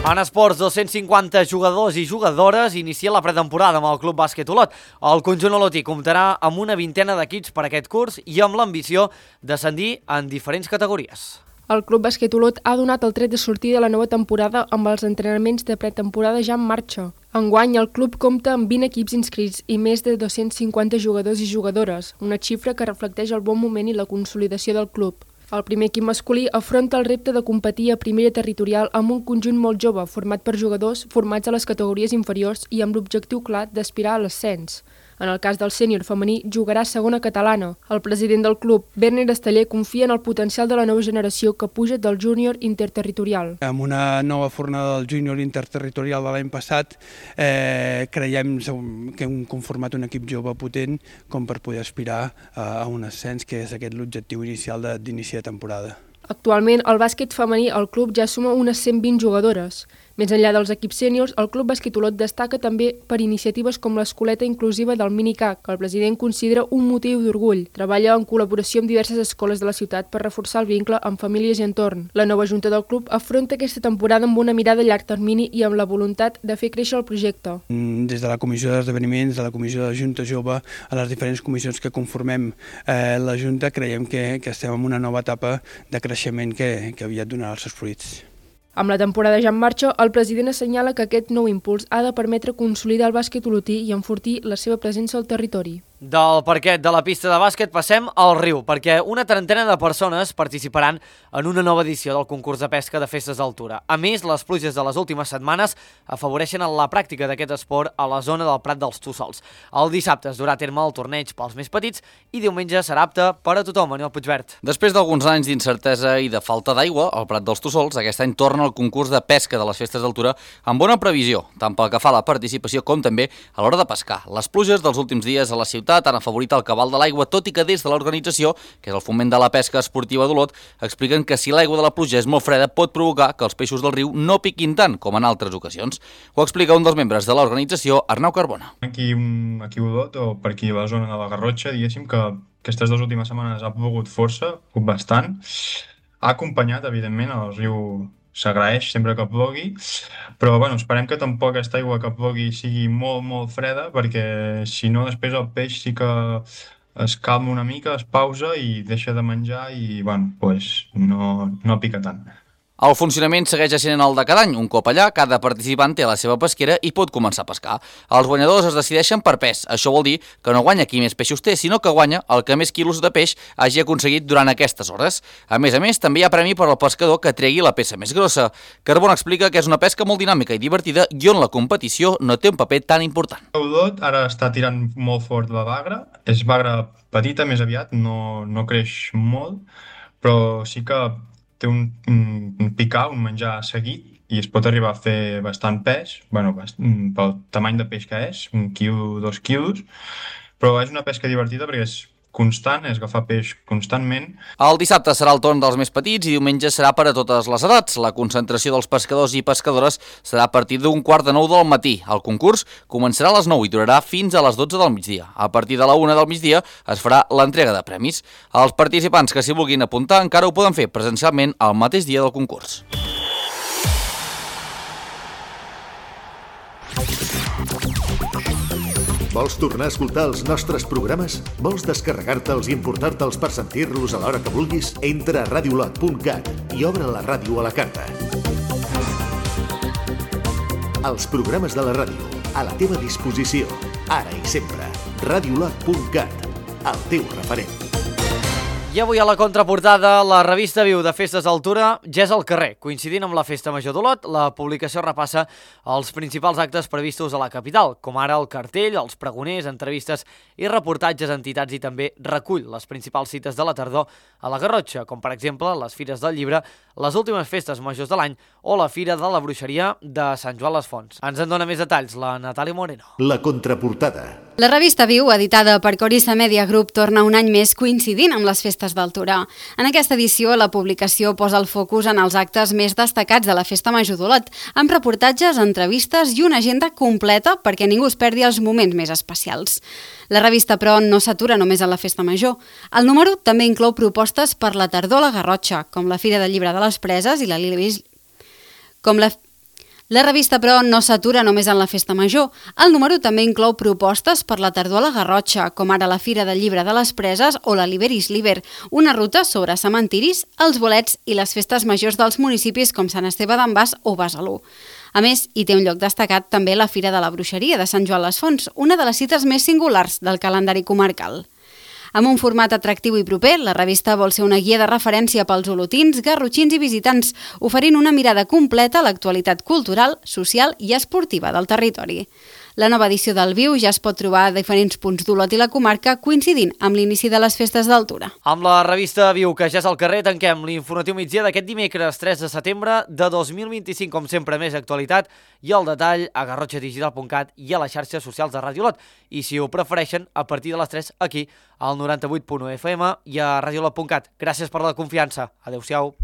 En esports, dos-cents cinquanta jugadors i jugadores inicien la pretemporada amb el Club Bàsquet Olot. El conjunt olotí comptarà amb una vintena d'equips per aquest curs i amb l'ambició d'ascendir en diferents categories. El Club Bàsquet Olot ha donat el tret de sortida de la nova temporada amb els entrenaments de pretemporada ja en marxa. Enguany, el club compta amb vint equips inscrits i més de dos-cents cinquanta jugadors i jugadores, una xifra que reflecteix el bon moment i la consolidació del club. El primer equip masculí afronta el repte de competir a primera territorial amb un conjunt molt jove, format per jugadors formats a les categories inferiors i amb l'objectiu clar d'aspirar a l'ascens. En el cas del sènior femení, jugarà a segona catalana. El president del club, Werner Esteller, confia en el potencial de la nova generació que puja del júnior interterritorial. Amb una nova fornada del júnior interterritorial de l'any passat, eh, creiem que hem conformat un equip jove potent com per poder aspirar a un ascens, que és aquest l'objectiu inicial d'inici de temporada. Actualment, el bàsquet femení al club ja suma unes cent vint jugadores. Més enllà dels equips sèniors, el Club Bàsquet Olot destaca també per iniciatives com l'escoleta inclusiva del Minicac, que el president considera un motiu d'orgull. Treballa en col·laboració amb diverses escoles de la ciutat per reforçar el vincle amb famílies i entorn. La nova junta del club afronta aquesta temporada amb una mirada a llarg termini i amb la voluntat de fer créixer el projecte. Des de la comissió d'esdeveniments, de la comissió de la Junta Jove, a les diferents comissions que conformem eh, la Junta, creiem que, que estem en una nova etapa de creixement que, que aviat donarà els seus fruits. Amb la temporada ja en marxa, el president assenyala que aquest nou impuls ha de permetre consolidar el bàsquet olotí i enfortir la seva presència al territori. Del parquet de la pista de bàsquet passem al riu, perquè una trentena de persones participaran en una nova edició del concurs de pesca de festes d'altura. A més, les pluges de les últimes setmanes afavoreixen la pràctica d'aquest esport a la zona del Prat dels Tossols. El dissabte es durà a terme el torneig pels més petits i diumenge serà apte per a tothom. Manuel Puigvert. Després d'alguns anys d'incertesa i de falta d'aigua, al Prat dels Tossols aquest any torna el concurs de pesca de les festes d'altura amb bona previsió, tant pel que fa a la participació com també a l'hora de pescar. Les pluges dels últims dies a la ciutat han afavorit el cabal de l'aigua, tot i que des de l'organització, que és el Foment de la Pesca Esportiva d'Olot, expliquen que si l'aigua de la pluja és molt freda pot provocar que els peixos del riu no piquin tant com en altres ocasions. Ho explica un dels membres de l'organització, Arnau Carbona. Aquí, aquí a Olot, o per aquí a la zona de la Garrotxa, diguéssim que aquestes dues últimes setmanes ha plogut força, bastant. Ha acompanyat, evidentment, el riu s'agraeix sempre que plogui, però bueno, esperem que tampoc aquesta aigua que plogui sigui molt, molt freda, perquè si no després el peix sí que es calma una mica, es pausa i deixa de menjar i bueno, pues, no, no pica tant. El funcionament segueix sent el de cada any. Un cop allà, cada participant té la seva pesquera i pot començar a pescar. Els guanyadors es decideixen per pes. Això vol dir que no guanya qui més peixos té, sinó que guanya el que més quilos de peix hagi aconseguit durant aquestes hores. A més a més, també hi ha premi per al pescador que tregui la peça més grossa. Carbona explica que és una pesca molt dinàmica i divertida i on la competició no té un paper tan important. Olot ara està tirant molt fort la bagra. És bagra petita, més aviat, no, no creix molt, però sí que té un, un picar, un menjar seguit i es pot arribar a fer bastant pes, bueno, pel tamany de peix que és, un quilo, dos quilos, però és una pesca divertida perquè és constant, és agafar peix constantment. El dissabte serà el torn dels més petits i diumenge serà per a totes les edats. La concentració dels pescadors i pescadores serà a partir d'un quart de nou del matí. El concurs començarà a les nou i durarà fins a les dotze del migdia. A partir de la una del migdia es farà l'entrega de premis. Els participants que s'hi vulguin apuntar encara ho poden fer presencialment el mateix dia del concurs. Vols tornar a escoltar els nostres programes? Vols descarregar-te'ls i importar-te'ls per sentir-los a l'hora que vulguis? Entra a radiolot punt cat i obre la ràdio a la carta. Els programes de la ràdio, a la teva disposició, ara i sempre. radiolot punt cat, el teu referent. I avui a la contraportada, la revista Viu de Festes d'Altura ja és al carrer. Coincidint amb la Festa Major d'Olot, la publicació repassa els principals actes previstos a la capital, com ara el cartell, els pregoners, entrevistes i reportatges a entitats i també recull les principals cites de la tardor a la Garrotxa, com per exemple les Fires del Llibre, les últimes festes majors de l'any o la Fira de la Bruixeria de Sant Joan les Fonts. Ens en dona més detalls la Natàlia Moreno. La contraportada. La revista Viu, editada per Corissa Media Group, torna un any més coincidint amb les festes d'altura. En aquesta edició, la publicació posa el focus en els actes més destacats de la Festa Major d'Olot, amb reportatges, entrevistes i una agenda completa perquè ningú es perdi els moments més especials. La revista, però, no s'atura només a la Festa Major. El número també inclou propostes per la tardor a la Garrotxa, com la Fira del Llibre de les Preses i la Libis... com la... La revista, però, no s'atura només en la Festa Major. El número també inclou propostes per la tardor a la Garrotxa, com ara la Fira del Llibre de les Preses o la Liberis Liber, una ruta sobre cementiris, els bolets i les festes majors dels municipis com Sant Esteve d'en Bas o Besalú. A més, hi té un lloc destacat també la Fira de la Bruixeria de Sant Joan les Fonts, una de les cites més singulars del calendari comarcal. Amb un format atractiu i proper, la revista vol ser una guia de referència pels olotins, garrotxins i visitants, oferint una mirada completa a l'actualitat cultural, social i esportiva del territori. La nova edició del Viu ja es pot trobar a diferents punts d'Olot i la comarca, coincidint amb l'inici de les festes d'altura. Amb la revista Viu, que ja és al carrer, tanquem l'informatiu migdia d'aquest dimecres tres de setembre de dos mil vint-i-cinc, com sempre més actualitat i el detall a garrotxa digital punt cat i a les xarxes socials de Ràdio Olot. I si ho prefereixen, a partir de les tres aquí, al noranta-vuit punt u F M i a radiolot punt cat. Gràcies per la confiança. Adéu-siau.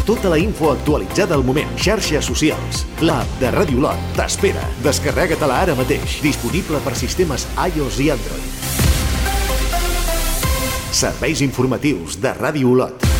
Tota la info actualitzada al moment. Xarxes socials. L'app de Ràdio Olot t'espera. Descarrega-te-la ara mateix. Disponible per sistemes iOS i Android. Serveis informatius de Ràdio Olot.